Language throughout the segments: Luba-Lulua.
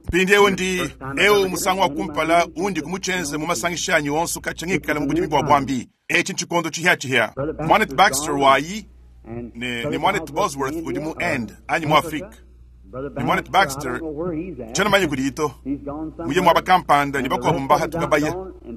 Mpindieu ndi eu musangu wa kumpala undi kumutshienze mu masangisha anyi onso katshia ngikala mu budimi bua buambi. Etshi ntshikondo tshipiatshipia. Muanetu Baxter wayi ne, ne muanetu Bosworth udi mu Inde anyi mu Afrike. Ne muanetu Baxter tshiena manye kudiyi to. Muye muaba kampanda ne bakuabu mbahatuka baya.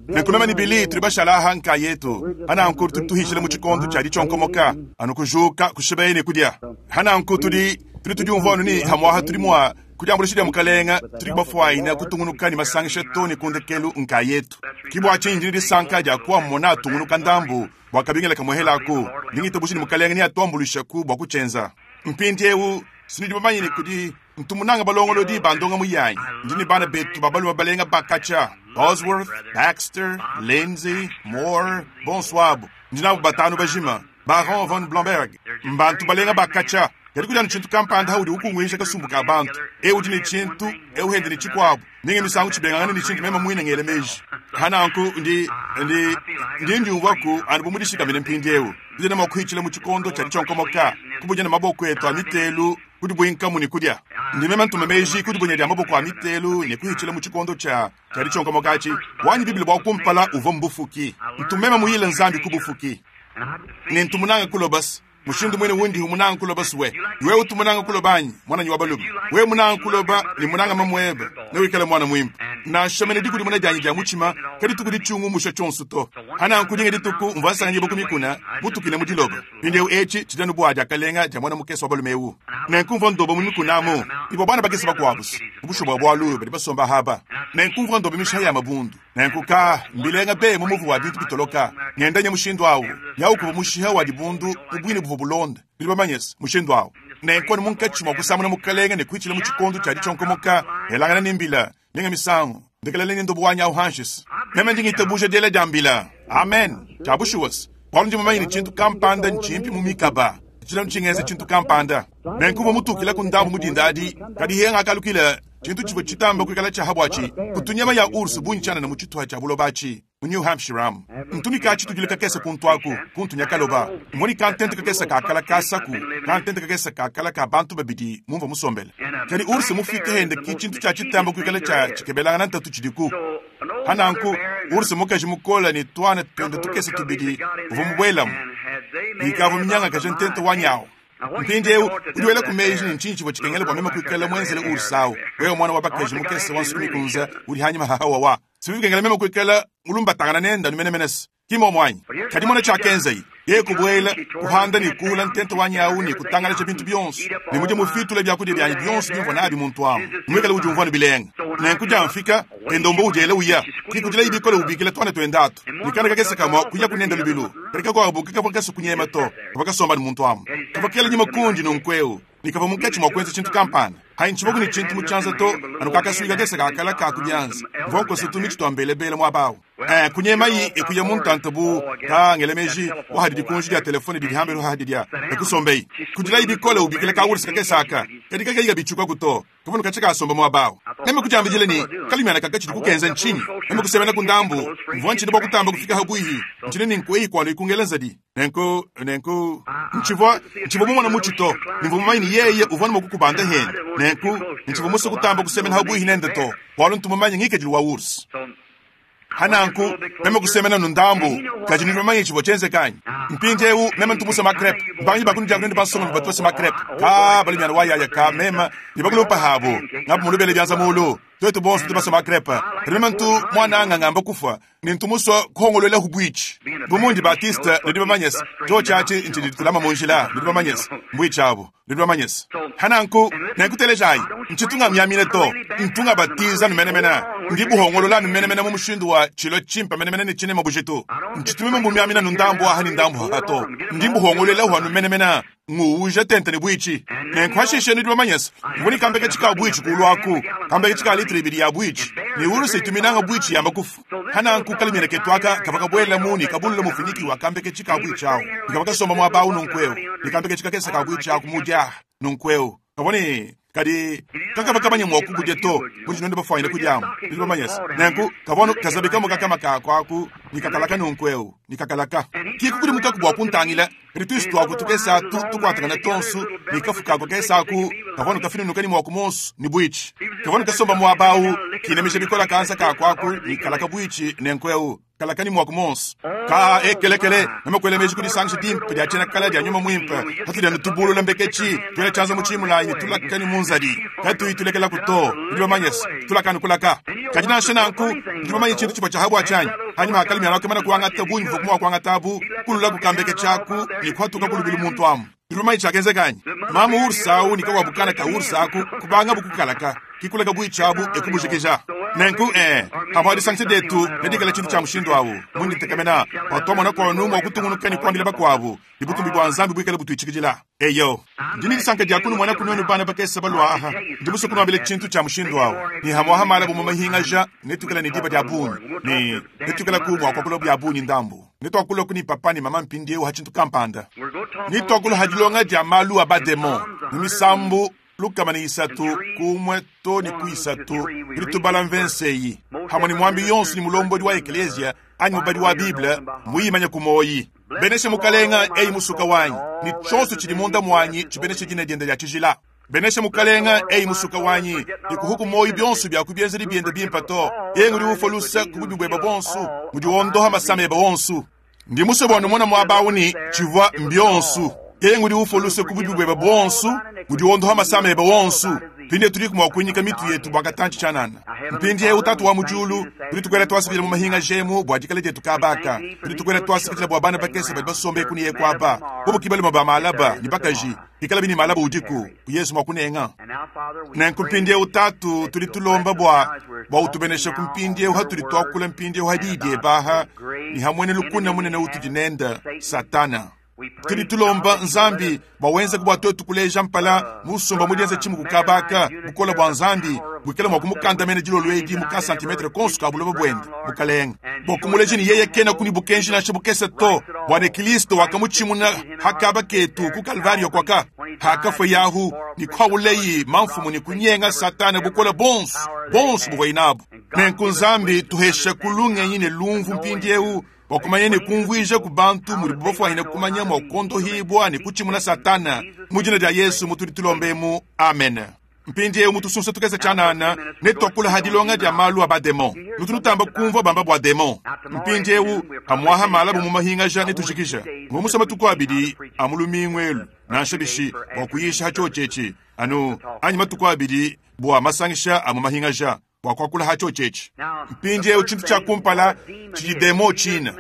Nenku meme ne Billy tudi bashala aha nkayetu. Pananku tudi tuhishila mu tshikondo tshia ditshionkomoka, anu kujuka, kushibeya ne kudia. Pananku tudi tudi tudiumvua anu ne hamuaha tudi mua Ku diambuluisha dia Mukalenga, tudi bafuanyine kutungunuka ne masangisha too ne ku ndekelu nkayetu. Ke bua tshinyi ndi ne disanka dia kuamona atungunuka ndambu bua kabingila kamuehelaku. Ndi ngitabuja ne Mukalenga neatuambuluishaku bua kutshienza. Mpindiewu, sinudi bamanye ne kudi ntu munanga balongolodi ba ndongamu yanyi. Ndi ne bana betu ba balume balenga ba katshia, Bosworth, Baxter, Lindsay, Moore, bonso abu. Ndi nabu batanu bajima. Baron von Blomberg, mbantu balenga ba katshia. Kadi kudi anu tshintu kampanda udi ukunguija kasumbu ka bantu. Eu udi ne tshintu, eu hende ne tshikuabu. Minga misangu tshibengangane ne tshindi meme muine ngela meji. Pa nanku ndi, ndi, ndi ndiumvuaku anu bu mudishikamine mpindieu. Tudi mua kuhitshila mu tshikondo tshia ditshionkomoka, kubunya ne maboko etu a mitelu, kudibuinkamu ne kudia. Ndi meme ntuma meji ku dibunya dia maboko a mitelu ne kuhitshila mu tshikondo tshia, tshia ditshionkomoka atshi. Wanyi Bible bua kumpala uvua mbufuki. Ntu meme muyile Nzambi ku bufuki. Ne ntu munanga kulobas. Mushindu muine undi munanga kuloba suwe. Wewe utu munanga kuloba anyi, muananyi wa balume? Wewe munanga kuloba ne munanga mamuebe, newikale muana muimpe. Nansha mene dikudimuna dianyi dia mutshima kadituku ditshiungumusha tshionso to. Pananku dinga dituku mvua nsanganyibua ku mikuna, mutukile mu diloba. Mpindieu etshi tshidi anu bua diakalenga dia muana mukese wa balume eu. Nenku mvua ndoba mu mikuna amu ivua bana bakese bakuabu, mu bushuwa bua bualu badi basomba aba. Nenku mvua ndoba mishiha ya mabundu. Nenku ka mbilenga be mu muvu wa bintu bitoloka ngenda nya mushindu awu yawu kuvua mushiha wa dibundu mu buine buvua bulonda nudi bamanyese mushindu awu. Nenku anu munkatshi mua kusamuna Mukalenge ne kuitshila mu tshikondo tshia ditshionkomoka elangana ne mbila minga misangu ndekelele ne ndobo wanyi awu hanshis. Meme ndi ngitabuja diela dia mbila. Amen. Tshia bushuwa-se, bualu ndi mumanye ne tshintu kampanda ntshimpi mu mikaba. Tshilanu tshingenza tshintu kampanda. Nenku mvua mutukilaku ndambu mu dinda adi, kadi he ngakalukila tshintu tshivua tshitamba kuikala tshia ha buatshi kutu nyama ya ours bungi tshianana mu tshituha tshia buloba atshi mu New Hampshire amu. Ntu ne ka-tshitudilo kakese kuntu aku, kuntu nya kaloba. Mvua ne kantente kakese ka kala kasaku, kantente kakese ka kala ka bantu babidi mumvua musombele. Kadi ours mufike hende ki tshintu tshia tshitamba kuikala tshia tshikebelangana ntatu tshidiku. Pa nanku, ours mukaji mukole ne tuana tuende tukese tubidi uvua mubuelamu, ne ikavua minyangakaje ntente wanyi au. Mpindieu udi welaku meji ne ntshinyi tshivua tshikengela bua meme kuikala muenzele ours au, wewe muana wa bakaji mukese wa nsuki mikunze udi hanyima ha hawawa? Si bikengela meme kuikala mulumbatangana nende anu menemene se ki mmuomu anyi? Kadi mona tshiakenzaye. Yeye kubuela, kuhanda ne kuula ntenta wanyi au ne kutangalaja bintu bionso, ne mudie mufitule biakudia bianyi bionso bimvua nabi muntu amu, muikale udiumvua anu bilenga. Nenku diamfika, Endombo udiela uya, kikudilayi bikole ubikila tuana tuende atu, ne kana kakese kamue kuyaku nende lubilu, kadi kakuabu kakavua kasue kunyema to, kavua kasomba ne muntu amu. Kavua kela nyima kundi nunku'eu, ne kavua munkatshi mua kuenza tshintu kampanda. Hanyi tshivuaku ne tshintu mu tshianza to, anu kakasuyi kakese ka kala ka ku bianza. Mvua nkosa tumitshi tua mbelebele muaba au. Eh, kunyemayi e kuya mu ntanta bu ka ngela meji wahadi dikunji dia telefone didi hambelu hahadi dia e kusombeyi. Kudilayi bikole ubikila ka ursi kakese aka, kadi kakayi kabitshukaku to. Kavua katshia kasomba muaba au. Meme kudiambidila ne, Kalumiana kaka tshidi kukenza ntshinyi? Meme kusemena ku ndambu. Mvua ntshina bua kutamba kufika habuihi. Ntshina ne nkueyi kualu ikungela nzadi. Nenku, nenku, ntshivua, ntshivua mumona mutshi to, ne mvua mumanye ne yeye uvua ne mua kukubanda hende. Nenku, ntshivua musue kutamba kusemena habuihi nende to, bualu ntu mumanye ngikadilu wa ours. Pa nanku, meme kusemena anu ndambu, kadi nudi bamanye tshivua tshienzeke anyi? Mpindieu, meme ntu musue ma-crepe. Mbangi ba kunudi aku bansongalume batu basue ma-crepe. Kaa, balumiana wa yaya ka meme ne bakulupa pabu, ngabu mulubele bianza muulu. Tuetu bonso tudi basue ma-crepe. Kadi meme ntu muananga ngamba kufua, ne ntu musue kuhongoluelaku buitshi. Bu mundi Baptiste, nudi bamanye-se, tshiotshi atshi ntshidi tshitulama mu njila, nudi bamanye-se, mbuitshi abu. Nudi bamanye-se. Pa nanku, nenkutelejayi. Ntshitu ngamiamina to. Ntu ngabatiza anu menemene. Ndi buhongolola anu menemene mu mushindu wa tshilua tshimpe menemene ne tshinema bujitu. Ntshitu meme mbumiamina anu ndambu aha ne ndambu aha to. Ndi mbuhongoluelahu anu menemene, nguwuja tente ne buitshi. Nenku hashishe nudi bamanye-se, mvua ne kambeketshi ka buitshi kuulu aku, kambeketshi ka litre ibidi ya buitshi, ne uruse itu minanga buitshi yamba kufua. Pa nanku kalumiana ketu aka kavua kabuelamu ne kabulula mufuniki wa kambeketshi ka buitshi au, ne kavua kasomba muaba au nunku'eu, ne kambeketshi kakese ka buitshi aku mu diaha nunku'eu, kavua ne. Kadi kakavua kamanye mua kubudia to, munudi nuenu bafuanyine kudiamu. Nudi bamanye's. Nenku kavua anu kazabi kamue kakama kaku aku ne kakalaka nunku eu, ne kakalaka. Ki kukudimukaku bua kuntangila, kadi tuisu tuaku tukese atu tukuatakana tuonso, ne kafu kaku kakese aku kavua anu kafinunuka ne muaku muonso ne buitshi. Kavua anu kasomba muaba au, kinamija bikole kanza kaku aku ne kalaka buitshi nenku eu. Kalakani muaku monso ka ekelekele meme kuela meji ku disangisha dimpe dia tshiena kala dia nyuma muimpe patudi anu tubulula mbeketshi tuela tshianza mu tshimulayi ne tulakani mu nzadi katuyi tulekelaku to. Nudi bamanye se tulakanu kulaka. Kadi nansha nanku nudi bamanye tshintu tshivua tshia bua tshianyi hanyima ha kalimi alua kuangata bungi buvua mua kuangata abu kululaku kambeketshi aku ne kuhatuka ku lubilu muntu amu. Nudi bamanye tshiakenzeka anyi? Mamu ursa au ne kakuabu kana ka ursa aku kubangabu kukalaka kikulaka buitshi abu ekubujikija. Nenku ee, pamua disangisha dietu nedikale tshintu tshia mushindu au. Mundi ntekemena bua tuamona kuonu mua kutungunuka ne kuambila bakuabu ne butumbi bua Nzambi buikale butuitshikidila. Eyo, ndi ne disanka dia kunumona ku nuenu bana bakese balua aha. Ndi musue kunuambila tshintu tshia mushindu au ne hamuaha mala bu mu mahingaja netuikale ne diba dia bungi ne netuikalaku mua kuakula bia bungi ndambu. Netuakulaku ne papa ne mama mpindieu ha tshintu kampanda. Netuakula ha dilonga dia malu a bademon mu misambu 103 ku 1 to ne ku 3. Tudi tubala mvense eyi hamue ne muambi yonso ne mulombodi wa ekeleziya anyi mubadi wa Bible muyimanye ku muoyi. Benesha Mukalenga, eyi musuka wanyi, ne tshionso tshidi munda muanyi tshibeneshe dina diende dia tshijila. Benesha Mukalenga, eyi musuka wanyi, ne kuhuku muoyo bionso bia ku bienzedi biende bimpe to. Yeye ngudi ufua luse ku bubi buebe buonso, ngudi wondoha masama ebe onso. Ndi musue bua numone muaba au ne tshivua mbionso. Yeye ngudi ufua luse ku bubi buebe buonso, ngudi wondoha masama ebe onso. Mpindieu tudiku mua kuinyika mitu yetu bua katantshi tshianana. Mpindieu Tatu wa mu diulu, tudi tukuela tuasakidila mu mahinga jemu bua dikala dietu kaba aka. Tudi tukuela tuasakidila bua bana bakese badi basombe eku ne eku aba, bobu ki balume ba malaba ne bakaji, pikalabi ne malaba udiku, ku Yezu mua kunenga. Nenku mpindieu Tatu, tudi tulomba bua bua utubeneshe ku mpindieu hatudi tuakula mpindieu ha diyi diebe aha ne ha muena lukuna munene utudi nende, Satana. Tudi tulomba Nzambi bua wenzeke bua tuetu kuleja mpala musumba mu dienza tshimuku kaba aka, bukole bua Nzambi buikale mua kumukandamena dilolo edi mu ka santimetre konso ka buloba buende, Mukalenge, bua kumuleja ne yeye kenaku ne bukenji nansha bukese to, bua ne Kilisto wakamutshimuna ha kaba ketu ku Kalvario kuaka hakafua yahu ne kuawuleyi mamfumu ne kunyenga Satana bukole bonso bonso buvuaye nabu. Nenku Nzambi tuhesha ku lungenyi ne lumvu mpindieu bua kumanya ne kumvuija ku bantu mudibu bafuanyine kumanya mua kuondohibua ne kutshimuna Satana mu dina dia Yesu mutudi tulombemu. Amen. Mpindieu mu tusunsa tukese tshianana netuakula ha dilonga dia malu a bademon. Nutu nutamba kumvua bamba bua demon. Mpindieu hamuaha malabu mu mahingaja netujikija mu musa matuku abidi a mu lumingu elu nansha bishi bua kuyisha ha tshiotshi etshi anu anyi matuku abidi bua masangisha a mu mahingaja bua kuakula ha tshiotshi etshi. Mpindieu tshintu tshia kumpala tshidi demon tshina.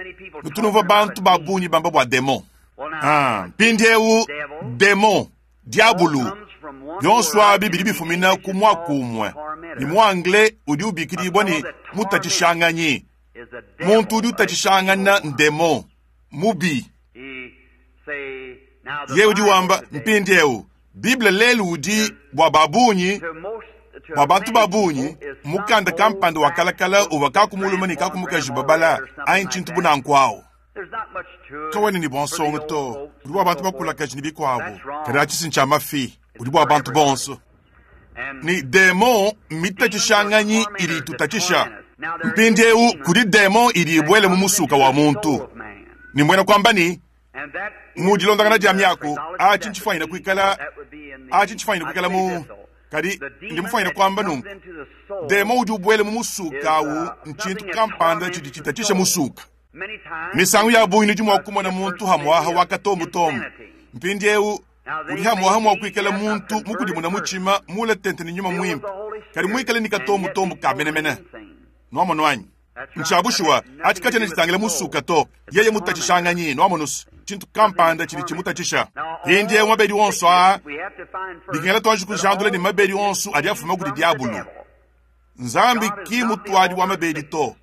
Nutu numvua bantu ba bungi bamba bua demon. Mpindieu demon, diabulu, bionso abi bidi bifumina ku muaku umue, ne mu anglais udi ubikidibua ne mutatshishanganyi. Muntu udi utatshishangana ndemon mubi. Yeye udi wamba mpindieu Bible lelu udi bua ba bungi, bua bantu ba bungi, mukanda kampanda wa kalakala uvua kaku mulume ne kaku mukaji babala anyi tshintu bu nanku au. Kawena ne bua nsongo to, udi bua bantu bakulakaje ne bikuabu, kadi atshi si ntshia mafi, udi bua bantu bonso. Ne demon mmitatshishanganyi idi itutatshisha. Mpindieu kudi demon idi ibuela mu musuka wa muntu, ne mbuena kuamba ne, mu dilondangana dia miaku, atshi ntshifuanyine kuikala, atshi ntshifuanyine kuikala mu, kadi ndi mufuanyine kuamba nunku, demon udi ubuela mu musuka au ntshintu kampanda tshidi tshitatshisha musuka. Misangu ya bungi nudi mua kumona muntu hamuaha wa katombutombu. Mpindieu udi hamuaha mua kuikala muntu mukudimuna mutshima mule tente ne nyuma muimpe, kadi muikale ne katombutombu ka menemene. Nuamonu anyi? Ntshia bushuwa, atshi katshiena tshitangila musuka to. Yeye mutatshishanganyi, nuamonu's, tshintu kampanda tshidi tshimutatshisha. Mpindieu mabedi onso aa, bikengela tuanji kujandula ne mabedi onso adi afuma kudi diabulu. Nzambi ki mutuadi wa mabedi to.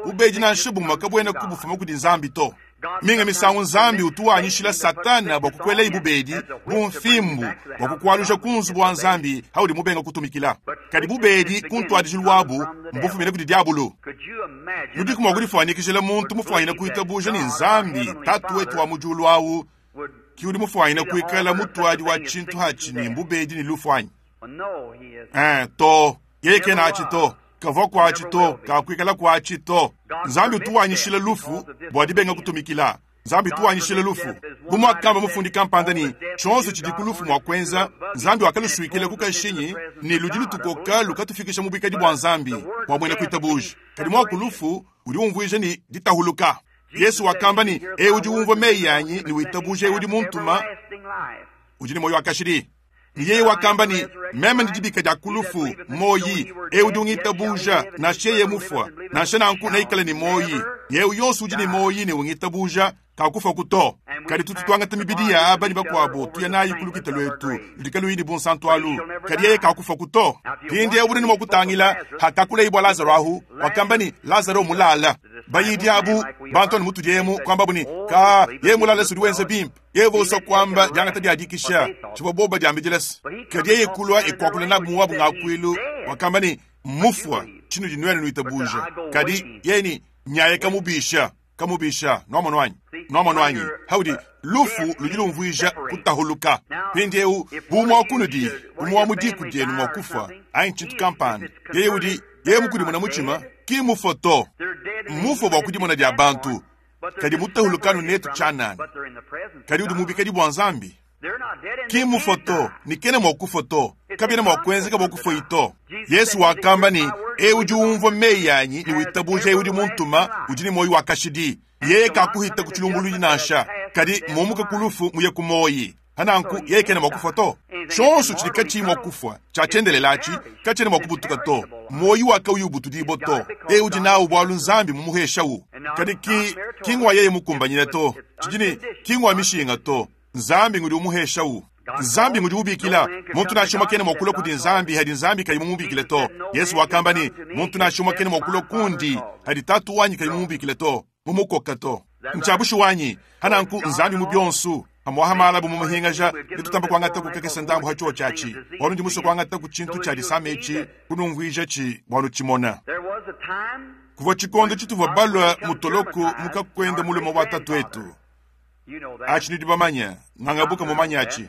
Bubedi nansha bumue kabuena kubufuma kudi Nzambi to. Minga misangu Nzambi utu wanyishila Satana bua kukuelayi bubedi bu mfimbu bua kukualuja ku nzubu wa Nzambi haudi mubenga kutumikila. Kadi bubedi ku ntuadijilu wabu mbufumine kudi diabulu. Nudiku mua kudifuanyikijila muntu mufuanyine kuitabuja ne Nzambi Tatu wetu wa mu diulu au ki udi mufuanyine kuikala mutuadi wa tshintu hatshi ne mbubedi ne lufu anyi? Eh, to. Yeye kena atshi to. Kavua kuatshi to, kakuikala kuatshi to. Nzambi utu wanyishila lufu bua dibenga kutumikila. Nzambi utu wanyishila lufu. Bu muakamba mufundi kampanda ne, Tshionso tshidi ku lufu mua kuenza, Nzambi wakalusuikila ku kashinyi ne ludi lutukoka lukatufikisha mu buikadi bua Nzambi bua muena kuitabuja. Kadi muaku lufu udi umvuija ne, ditahuluka. Yesu wakamba ne, Eu udi umvua meyi anyi ne witabuja eu udi muntuma udi ne muoyo wa kashidi. Ne yeye wakamba ne, Meme ndi dibika dia ku lufu, muoyi. Eu udi ungitabuja, nansha yeye mufua, nansha nanku neikale ne muoyi. Ne eu yonso udi ne muoyi ne ungitabuja kakufuaku to. Kadi tutu tuangata mibidi ya aba ne bakuabo tuya nayi ku lukita luetu ludi kaluyi ne bunsantu alu, kadi yeye kakufuaku to. Mpindieu udi ne mua kutangila hakakuleye bua Lazaro ahu, wakamba ne, Lazaro mulala. Bayidi abu, bantu anu mutudi emu, kuambabu ne, Ka, yeye mulala se udi wenza bimpe. Yeye uvua usua kuamba diangata dia dikisha, tshivua bobo badiambidila se, kadi yeye kulua e kuakula nabu mu wabu ngakuilu, wakamba ne, Mmufua, tshinudi nuenu nuitabuja. Kadi yeye ne, Nyaye kamubisha, kamubisha. Nuamonu anyi? Nuamonu anyi? Haudi, lufu ludi lumvuija kutahuluka. Mpindieu, bu umue wa kunudi, umue wa mu diku dienu mua kufua, anyi tshintu kampanda, yeye udi, yeye mukudimuna mutshima, ki mmufue to. Mmufue bua kudimona dia bantu. Kadi mutahulukanu netu tshianana. Kadi udi mubikadi bua Nzambi. Ki mmufue to, ne kena mua kufua to. Kabiena mua kuenzeka bua kufuayi to. Yesu wakamba ne, Eu udi umvua meyi anyi ne witabuja eu udi muntuma udi ne muoyo wa kashidi. Yeye kakuhita ku tshilumbuluidi nansha, kadi mmuumuke ku lufu muye ku muoyi. Pa nanku, yeye kena mua kufua to. Tshionso tshidi katshiyi mua kufua, tshia tshiendelele atshi, katshiena mua kubutuka to. Muoyo wa kauyi ubutudibua to. Yeye udi nawu bualu Nzambi mumuheshawu. Kadi ki, ki ngua yeye mukumbanyine to. Tshidi ne, ki ngua mishinga to. Nzambi ngudi umuheshawu. Nzambi ngudi ubikila. Muntu nansha umue kena mua kulua kudi Nzambi hadi Nzambi kayi mumubikile to. Yesu wakamba ne, Muntu nansha umue kena mua kulua kundi hadi Tatu wanyi kayi mumubikile to, mumukoka to. Ntshia bushuwa anyi? Pa nanku, Nzambi mu bionso, pamuaha mala bu mumuhingaja, netutamba kuangataku kakese ndambu ha tshiotshi atshi, bualu ndi musue kuangataku tshintu tshia disama etshi, kunumvuijatshi bua nutshimona. Kuvua tshikondo tshituvua balua mu toloko mu kakuenda mulume wa tatuetu. Atshi nudi bamanye, ngangabuka mumanye atshi.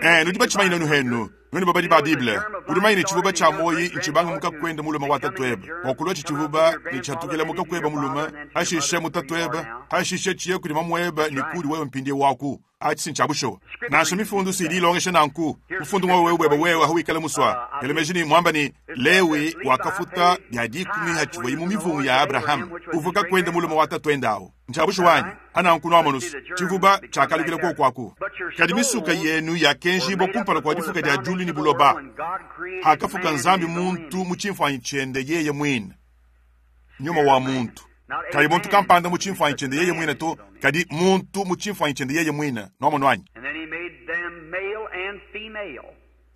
Eh, nudi batshimanye nuenu henu, nuenu babadi ba Bible. Udi mumanye ne tshivuba tshia muoyi ntshibanga mu kakuenda mulume wa tatuebe, bua kulua tshivuba ne tshiatukila mu kakueba mulume, hashishe mu tatuebe, hashishe tshiye kudi mamuebe ne kudi wewe mpindieu waku. Atshi si ntshia bushuwa. Nansha mifundu si idi ilongesha nanku. Mufundu ngwa wewe buebe wewe hawikala musua. Ela meji ne muamba ne Lewi wakafuta bia dikumi hatshivuaye mu mivungu ya Abrahama, uvua kakuenda mulume wa tatuende awu. Ntshia bushuwa anyi? Pananku nuamonu's, tshivuba tshiakalukila kuoku aku. Kadi misuka yenu yakenjibua kumpala kua difuka dia diulu ne buloba, hakafuka Nzambi muntu mu tshimfuanyi tshiende yeye muine, nyuma wa muntu. Kayi muntu kampanda mu tshimfuanyi tshiende yeye muine to, kadi muntu mu tshimfuanyi tshiende yeye muine. Nuamonu anyi?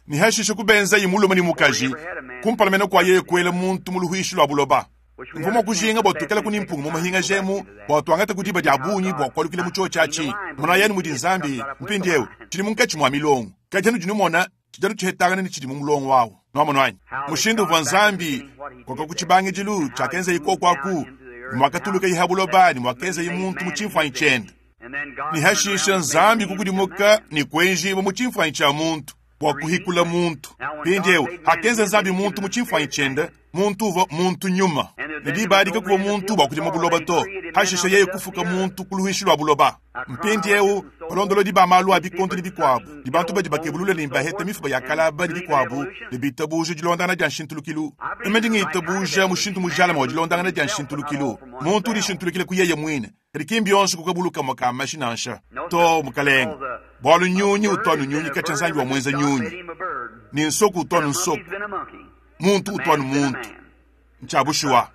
Ne hashishe kubenzaye mulume ne mukaji, kumpala mene kua yeye kuela muntu mu luhuishi lua buloba. Mvua mua kujinga bua tuikalaku ne mpunga mu mahingaja emu bua tuangataku diba dia bungi bua kualukila mu tshiotshi atshi. Monayi anu mudi Nzambi mpindieu, tshidi munkatshi mua milongo, kadi anudi numona tshidi anu tshihetangana ne tshidi mu mulongo au. Nuamonu anyi? Mushindu uvua Nzambi koka ku tshibangidilu tshiakenzaye kuoku aku, ne muakatulukaye ha buloba ne muakenzaye muntu mu tshimfuanyi tshiende. Ne hashishe Nzambi kukudimuka ne kuenjibua mu tshimfuanyi tshia muntu bua kuhikula muntu. Mpindieu, hakenza Nzambi muntu mu tshimfuanyi tshiende, muntu uvua muntu nyuma, ne diba adi kakuvua muntu bua kudima buloba to. Hashishe yeye kufuka muntu ku luhuishi lua buloba. Mpindieu, balondolodi ba malu a bikondo ne bikuabu, ne bantu badi bakebulula ne baheta mifuba ya kalaba ne bikuabu, ne bitabuja dilondangana dia nshintulukilu. Meme ndi ngitabuja mushindu mujalame wa dilondangana dia nshintulukilu. Muntu udi shintulukila ku yeye muine. Kadi ki mbionso ku kabulu kamue ka mashi nansha. Too, mukalenge. Bualu nyunyi utu anu nyunyi katshia Nzambi wamuenza nyunyi, ne nsoku utu anu nsoku, muntu utu anu muntu. Ntshia bushuwa.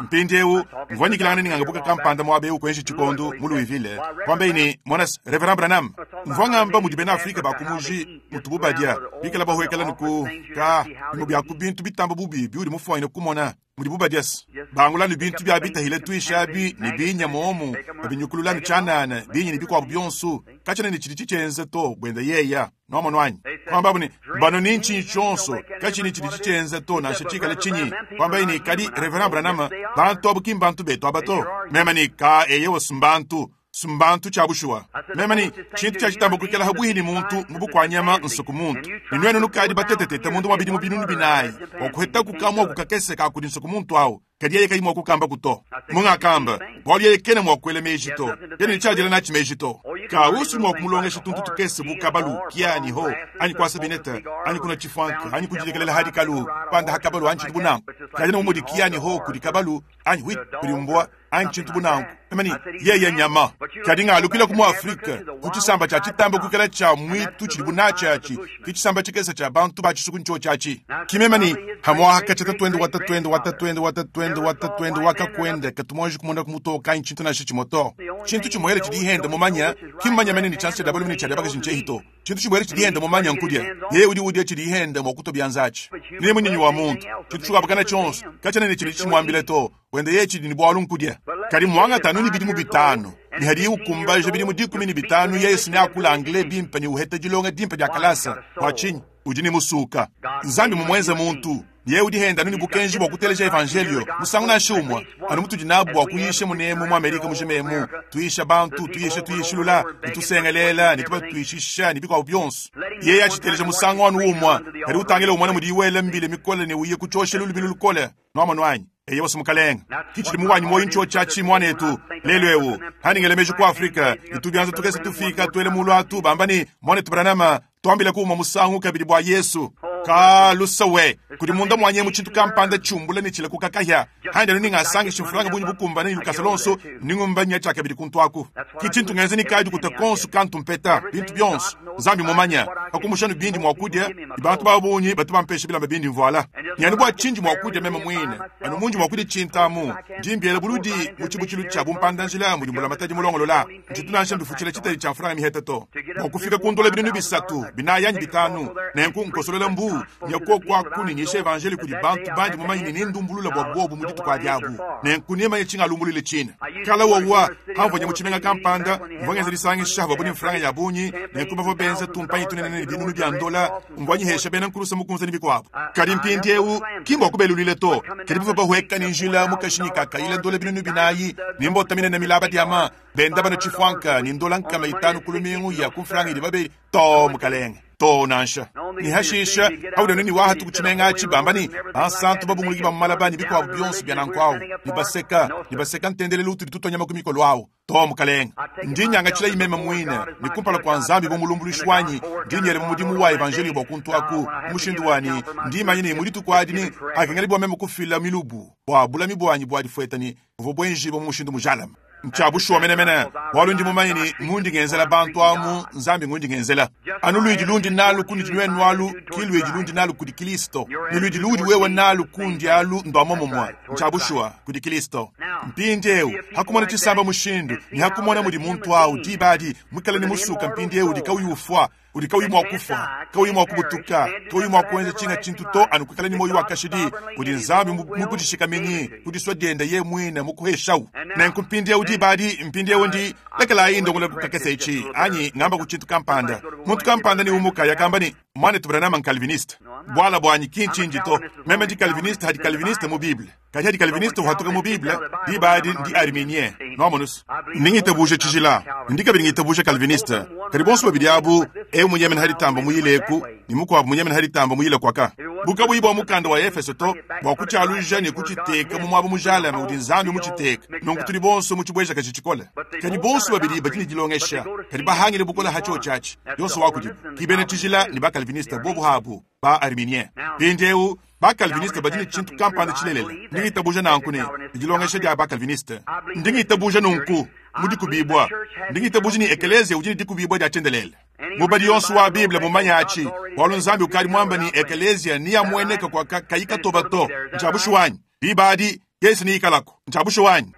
Mpindieu, mvua nyikilangana ne ngangabuka kampanda muaba eu kuenji tshikondo mu Louisville, kuambaye ne, Mona-se, Reverend Branham, mvua ngamba mudi bena Afrike ba ku muji mutubu badia, bikale bahuekela ne ku ka bimue bia ku bintu bitamba bubi biudi mufuanyine kumona. Mudibu badia-se, bangula ne bintu bia bitahila tuishi abi ne binya momu, babinyukulula ne tshianana, binya ne bikuabu bionso, katshiena ne tshidi tshitshienza to, buenda yeya. Nuamonu anyi? Kuambabu ne, Banu ni ntshinyi tshionso, katshiena ne tshidi tshitshienza to, nansha tshikale tshinyi. Kuambaye ne, Kadi, Reverend Branham, bantu abu ki mbantu betu aba to. Meme ne, Ka, eyowa, s'mbantu. S'mbantu cya bushuwa. Meme ne, Cintu cya citamba kwikala habwihi ne muntu mu bukwa-nyama nsuku muntu. Ne nwenu nukaadi batetetete munda mwa bidimu binunu binaayi bwa kuhetaku kamwaku kakese ka kudi nsuku muntu awu, kadi yeye kayi mwa kukambaku to. Mungakamba, bwalu yeye kena mwa kwela meeji to. Kena ne cya dyela naaci meeji to. Ka usu mwa kumulongesha tuntu tukese bu kabalu, kia anyi ho, anyi kwasa bineta, anyi kunwa cifwanka, anyi kudilekelela ha dikalu, panda ha kabalu anyi cintu bu nanku. Kadi anu bu mudi kia anyi ho kudi kabalu, anyi whit kudi mbwa, anyi tshintu bu nanku, meme ne, Yeye nnyama. Kadi ngalukilaku mu Afrike, ku tshisamba tshia tshitamba kuikala tshia mwitu tshidibu natshi atshi, ke tshisamba tshikese tshia bantu ba tshisuku ntshiotshi atshi. Ki meme ne, Hamwaha katshia tatuende wa tatuende wa tatuende wa tatuende wa tatuende wa kakuende katu muanji kumonaku mutoke anyi tshintu nansha tshimue to. Tshintu tshimuele tshidi hende mumanye, ki mmumanye mene ne tshianza tshia dia balume ne tshia dia bakaji ntshiehi to. Tshintu tshimuele tshidi hende mumanye nkudia. Yeye udi udia tshidi hende mua kutua bianza atshi. Ne munyinyi wa muntu, tshintu tshikuabakana tshionso, katshiena ne tshidi tshimuambile to. Wende yeye tshidi ne bualu nkudia. Kadi muangata anu ne bidimu bitanu, ne hadiye ukumbaja bidimu 15 yeye si neakula anglais bimpe ne uheta dilonga dimpe dia kalasa. Bua tshinyi? Udi ne musuka. Nzambi mumuenze muntu, ne yeye udi henda anu ne bukenji bua kuteleja evanjelio musangu nansha umue, anu mutudi nabu bua kuyisha munemu mu Amerika mujima emu, tuyisha bantu, tuyisha tuyishilula, ne tusengelela, ne tubatuishisha, ne bikuabu bionso. Yeye atshiteleja musangu anu umue, kadi utangila umona mudiye wela mbila mikole ne uya ku tshioshelu lubilu lukole. Nwamonu anyi? Eyowa, Mukalenge. Ki tshidi mu wanyi muoyo ntshiotshi atshi, mwanetu. Lelu ewu, andi ngela meji ku Afrika, ne tubyanza tukese tufiika tuele muulu atu, bamba ne, Mwanetu Branham, twambilaku umue musangu kabidi bwa Yesu. Kaa, lusa we! Kudi munda mwanyi emu tshintu kampanda tshiumbula ne tshilakuka kahia. Andi anu ne ngasangisha mfranga bungi bukumbane ne lukasa luonso, ndi ngumba nya tshiakabidi kuntu aku. Ki tshintu ngenza ne kadi kuta konso kantu mpeta, bintu bionso. Nzambi mmumanye, pa kumusha anu bindi mua kudia, ne bantu ba bungi batu bampesha bilamba bindi mvuala. Ne anu bua tshindi mua kudia meme muine, anu mundi mua kudia tshintu amu, ndi mbiela buludi mu tshibutshilu tshia bumpanda-njila mudi mbulamatadi mulongolola. Ntshitu nansha mbifutshila tshitadi tshia mfranga miheta to, bua kufika ku ndola 300, 4 anyi 5. Nenku nkosolola mbuu, nya kuoku aku ne nyisha evanjeliyo kudi bantu bandi mumanye ne nendumbulula bua buobu mu dituku adi abu. Nenku nemanye tshingalumbuluile tshine. Kala wowa, pamvua nya mu tshimenga kampanda, mvua ngenza disangisha avuabu ne mfranga ya bungi, nenku bavua benza tumpanyi tunene ne binunu bia ndola, mvua nyihesha bena nkulusa mukunze ne bikuabu. Kadi mpindieu, ki mbua kubeluila to, kadi bavua bahueka ne njila mu kashinyi ka kayila ndola 4000 ne mbota minene milaba diama, benda banua tshifuanka ne ndola 500 ku lumingu ya ku mfranga idi babeli. Too, mukalenge. Too, nansha. Ne hashisha, haudi anu ne wahatu ku tshimenga atshi, bamba ne, Bansantu babunguluki ba mu malaba ne bikuabu bionso bia nanku awu, ne baseka, ne baseka ntendelelu utudi tutua nyama ku mikolo awu. Too, mukalenge. Ndi nyangatshilayi meme muine, ne kumpala kua Nzambi bu mulumbuluishi wanyi, ndi nyela mu mudimu wa evanjeliyo bua kuntu aku, mu mushindu wa ne, ndi manya ne mu dituku adi ne akengela bua meme kufila milubu bua bulami buanyi bua difueta ne buvua buenjibua mu mushindu mujalame. Ntshia bushuwa menemene, bualu ndi mumanye ne, mundi ngenzela bantu amu Nzambi ngundi ngenzela. Anu luidi lundi nalu kunudi nuenu alu ki luidi lundi nalu kudi Kilisto, ne luidi luudi wewe nalu kundi alu ndua momumue. Ntshia bushuwa, kudi Kilisto. Mpindiewu, ha kumona tshisamba mushindu, ne ha kumona mudi muntu awu diba adi muikale ne musuka mpindiewu udi kauyi ufua, udi kauyi mua kufua, kauyi mua kubutuka, kauyi mua kuenza tshinga tshintu to anu kuikala ne muoyo wa kashidi, udi Nzambi mukudishikaminyi ku disua diende yeye muine mukuheshawu. Nenku mpindiewu diba adi, mpindiewu ndi, lekelayi ndongolola ku kakese etshi, anyi ngamba ku tshintu kampanda. Muntu kampanda ne umuka yakamba ne, Muanetu Branham n'Calviniste. Buala buanyi ki ntshindi to. Meme ndi Calviniste hadi Calviniste mu Bible. Kadi hadi Calviniste uhatuka mu Bible, diba adi ndi Arminien. Nwamonus? Ndi ngitabuja tshijila, ndi kabidi ngitabuja Calviniste. Kadi bonso babidi abu, eu munyemene ha ditamba muyile eku, ne mukuabu munyemene ha ditamba muyile kuaka. Bu kabuyi bua mukanda wa Efeso to, bua kutshialuja ne kutshiteka mu muaba mujalame udi Nzambi mutshiteke, nunku tudi bonso mu tshibuejakaji tshikole. Kadi bonso babidi badi ne dilongesha, kadi bahangile bukole ha tshiotshi atshi, yonso wa kudibu. Ki bena tshijila ne ba-Calviniste bobu habu, ba-Arminien. Mpindieu, Ba-Calviniste badi ne tshintu kampanda tshilelela. Ndi ngitabuja nanku ne, dilongesha dia ba-Calviniste. Ndi ngitabuja nunku mu dikubibua. Ndi ngitabuja ne ekeleziya udi ne dikubibua dia tshiendelele. Mubadi yonso wa Bible mumanye atshi, bualu Nzambi ukadi muambe ne ekeleziya neamueneke kua kayi katoba to. Ntshia bushuwa anyi? Diba adi, Yesu neikalaku. Ntshia bushuwa anyi?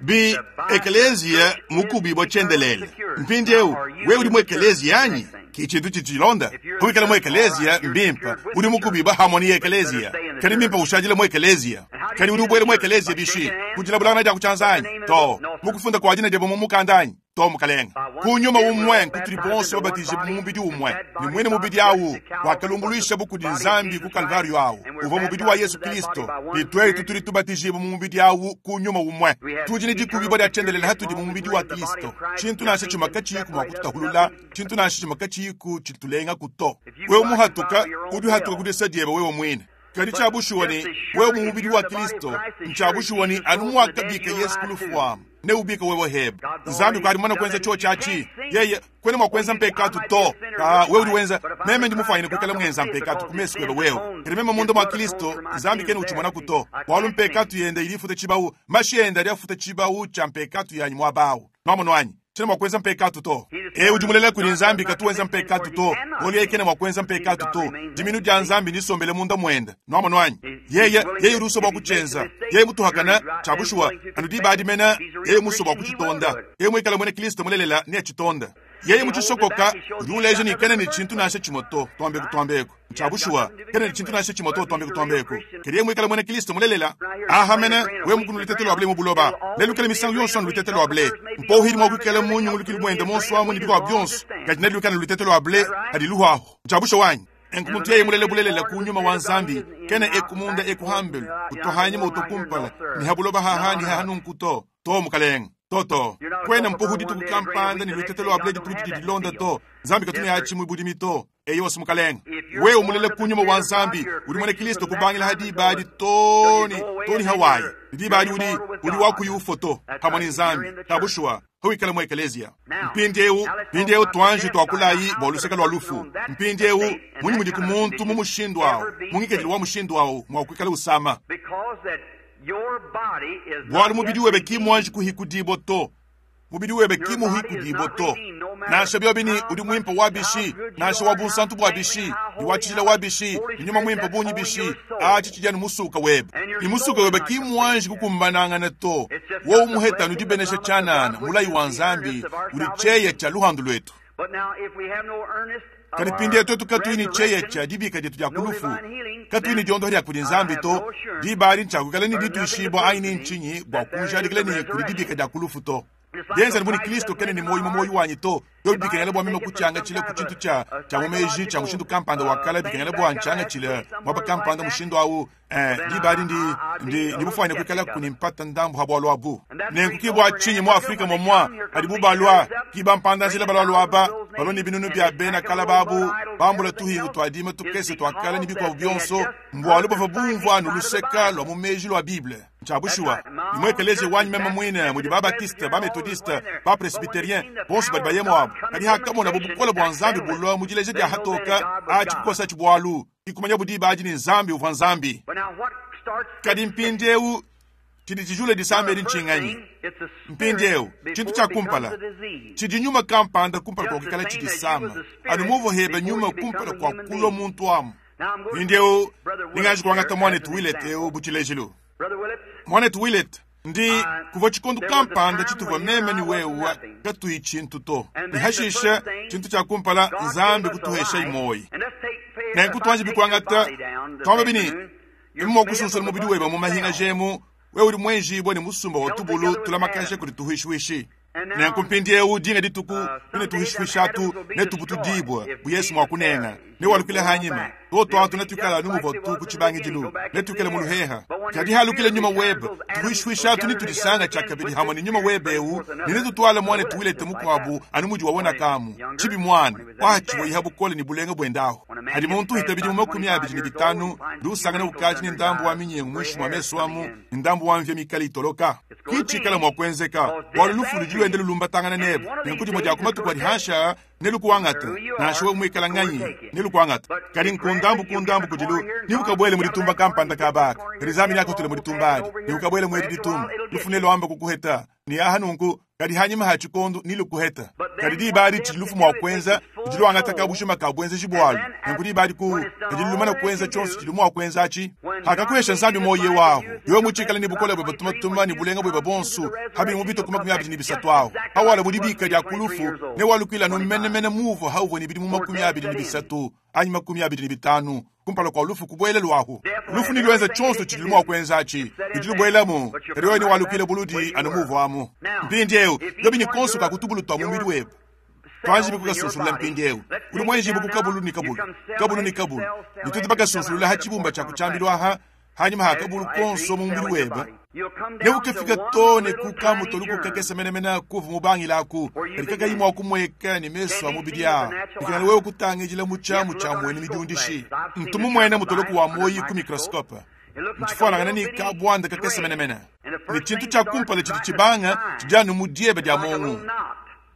Bi ekeleziya mukubibua tshiendelele. Mpindieu, wewe udi mu ekeleziya anyi? Ki tshintu tshidi tshilonda. Kuikala mu ekeleziya mbimpe, udi mukubibua hamue ne ekeleziya. Kadi mbimpe ushadile mu ekeleziya. Kadi udi ubuela mu ekeleziya bishi? Ku dilabulangana dia ku tshianza anyi? Too. Mu kufunda kua dina diebe mu mukanda anyi? To, mukalenge. Ku nyuma umue nkutudi bonso babatijibue mu mubidi umue, ne muine mubidi au wakalumbuluishabu kudi Nzambi ku Kalvariyo au uvua mubidi wa Yezu Kristo, ne tuetu tudi tubatijibua mu mubidi au ku nyuma umue. Tudi ne dikubibua dia tshiendelele hatudi mu mubidi wa Kristo. Tshintu nansha tshimue katshiyiku mua kututahulula, tshintu nansha tshimue katshiyiku tshitulengaku to. Wewe muhatuka, udi uhatuka ku disa diebe wewe muine. Kadi tshia bushuwa ne, wewe mu mubidi wa Kristo, ntshia bushuwa ne, anu muakabika Yezu ku lufu amu, neubike wewe hebe. Nzambi ukadi mumane kuenza tshiotshi atshi. Yeye kwena mua kuenza mpekatu to. Kaa, wewe udi wenza, meme ndi mufuanyine kuikala muenza mpekatu ku mesu kuebe wewe. Kadi meme munda mua Kristo, Nzambi kena utshimonaku to. Bualu mpekatu yende idi ifuta tshibawu, mashi ende adi afuta tshibawu tshia mpekatu yanyi muaba awu. Nwamonu anyi? Tshiena mua kuenza mpekatu to. Eu udi mulela kudi Nzambi katu wenza mpekatu to, bualu yeye kena mua kuenza mpekatu to. Diminu dia Nzambi ndisombele munda muende. Nwamonu anyi? Yeye, yeye udi usua bua kutshienza. Yeye mutuhakana, tshia bushuwa, anu diba adi mene, yeye musue bua kutshitonda. Yeye muikale muena Kristo mulelela, neatshitonde. Yeye mutshisokoka, udi uleja ne kena ne tshintu nansha tshimue to. Tuambeku, tuambeku. Ntshia bushuwa, kena ne tshintu nansha tshimue to. Tuambeku, tuambeku. Kadi yeye muikale muena Kristo mulelela, aha mene, wewe mukunu lutete lua ble mu buloba, nelukale misangu yonso anu lutete lua ble. Mpohidi mua kuikala mu nyungulukilu muende monso amu ne bikuabu bionso, kadi nelukale lutete lua ble hadi luhuahu. Ntshia bushuwa anyi? Nenku muntu yeye mulele bulelela ku nyuma wa Nzambi, kena eku munda eku hambelu, utua hanyima utua kumpala, ni ha buloba haha ni haha nunku to. To, mukalenge. To, to. Kuena mpohu dituku kampanda ne lutete lua ble dituku didi dilonda to. Nzambi katu ne atshi mu budimi to. Eyowa, mukalenge. Wewe mulele ku nyuma wa Nzambi, udi muena Kristo kubangila ha diba adi too ne, too ne hawayi. Ne diba adi udi, udi wa kuyi ufua to, pamue ne Nzambi. Ta bushuwa, hawikala mu ekeleziya. Mpindiewu, mpindiewu tuanji tuakulayi bua luseke lua lufu. Mpindiewu, munyi mudiku muntu mu mushindu awu, mu ngikadilu wa mushindu awu mua kuikala usama? Bualu mubidi webe ki muanji kuhikudibua to. Mubidi webe ki muhikudibua to. Nansha biobi ne udi muimpe wa bishi, nansha wa bunsantu bua bishi, ne wa tshijila wa bishi, ne nyuma muimpe bungi bishi, atshi tshidi anu musuka webe. Ne musuka webe ki muanji kukumbanangana to. Wowu muheta anu dibenesha tshianana, mulayi wa Nzambi udi tshieya tshia luhandu luetu. Kadi mpindieu tuetu katuyi ne tshieya tshia dibika dietu dia ku lufu, katuyi ne diondoha dia kudi Nzambi to, diba adi ntshiakuikala ne dituishibua anyi ne ntshinyi bua kunjadikila ne kudi dibika dia ku lufu to. Bienza anu bu ne Kristo kena ne muoyo mu muoyo wanyi to, biobi bikengela bua meme kutshiangatshila ku tshintu tshia tshia mu meji tshia mushindu kampanda wa kale, bikengela bua ntshiangatshile muaba kampanda mushindu au, Eh, diba adi ndi, ndi, ndi mufuanyine kuikalaku ne mpata ndambu ha bualu abu. Nenku ki bua tshinyi mu Afrika momua padibu balua, ki bampanda-njila balualua aba, balua ne binunu bia bena kala babu, bambula tuhingu tua dima tukese tua kala ne bikuabu bionso, mbualu bavua bumvua anu luseka lua mu meji lua Bible. Ntshia bushuwa. Ne mu ekeleziya wanyi meme muine mudi ba-Baptiste, ba-Methodiste, ba-Presbyterien, bonso badi bayemu abu. Kadi hakamonabu bukole bua Nzambi bulua mu dileja dia hatoka, atshi kukosatshi bualu. Ki kumanyabu diba adi ne Nzambi uvua Nzambi. Kadi mpindieu tshidi tshijula disama edi ntshinganyi? Mpindieu, tshintu tshia kumpala, tshidi nyuma kampanda kumpala kua kuikala tshidisama, anu muvua hebe nyuma kumpala kua kulua muntu amu. Mpindieu, ninganji kuangata muanetu Willett eu bu tshilejilu. Muanetu Willett, ndi kuvua tshikondo kampanda tshituvua meme ne wewe katuyi tshintu to, ne hashishe tshintu tshia kumpala Nzambi kutuhesha muoyo. Nenku tuanji bikuangata tuamba bini emu mua kusunsula mubidi webe mu mahinga jemu, wewe udi muenjibue ne musumba wa tubulu tulamakaja kudi tuhuishihuishi. Nenku mpindieu dinga dituku tune tuhuishihuishi atu netubutudibue bu Yesu mua kunenga newalukile hanyima. Tuotu atu netuikale anu muvua tu ku tshibangidilu, netuikale mu luheha. Kadi halukile nyuma webe, tuhuishihuishi atu netudisanga tshiakabidi hamue ne nyuma webe eu, ne netutuale muanetu Willett mukuabu anu mudi wawona kamu. Tshibi muana, watshivua iha bukole ne bulenga buendahu. Hadi muntu uhita bidimu 25, udi usangana ukadi ne ndambu wa minyengu muinshi mua mesu amu, ne ndambu wa mvia mikale itoloka. Ki tshikala mua kuenzeka, bualu lufu ludi luenda lulumbatangana nebe. Nenku dimue dia ku matuku adi hanshi aa nelukuangate, nansha wewe muikala nganyi, nelukuangate. Kadi nku ndambu ku ndambu kudilu, nebukabuele mu ditumba kampanda kaba aka, kadi Nzambi neakutule mu ditumba adi, nebukabuele mu edi ditumba. Lufu neluambe kukuheta, ne aha nunku, kadi hanyima ha tshikondo nelukuheta. Kadi diba adi tshidi lufu mua kuenza, ludi luangata kabujima ka buenzeji bualu. Nenku diba adi ku, ludi lumana kuenza tshionso tshidi mua kuenza atshi. Hakakuhesha Nzambi muoyo wahu, wewe mutshikale ne bukole buebe tumatuma ne bulenga buebe buonso, ha bidimu bitue ku 23 ahu, hawala mu dibika dia ku lufu, newalukuile anu menemene muvua hauvua ne bidimu 23 anyi 25 kumpala kua lufu kubuela luahu. Lufu neluenze tshionso tshidilu mua kuenza atshi, ludi lubuelamu, kadi wewe newalukile buludi anu muvuamu. Mpindieu. Mpindieu, biobi ne konso ka ku tubulu tua mubidi webe. Tuanjibi kukasunsulula mpindieu. Udi muenjibu ku kabulu ne kabulu, kabulu ne kabulu, ne tudi bakasunsulula ha tshibumba tshia ku tshiambilu aha, hanyima ha kabulu konso mu mubidi webe. Neukafika too ne ku kamutolu kakese menemene kuvu mubangilaku, kadi kakayi mua kumueka ne mesu a mubidi aa. Bikengela wewe kutangidila mu tshiamu tshia muenu midiundishi. Ntu mumuene mutoloku wa muoyi ku microscope. Ntshifuanangane ne kabuanda kakese menemene. Ne tshintu tshia kumpala tshidi tshibanga tshidi anu mu dieba dia muongo.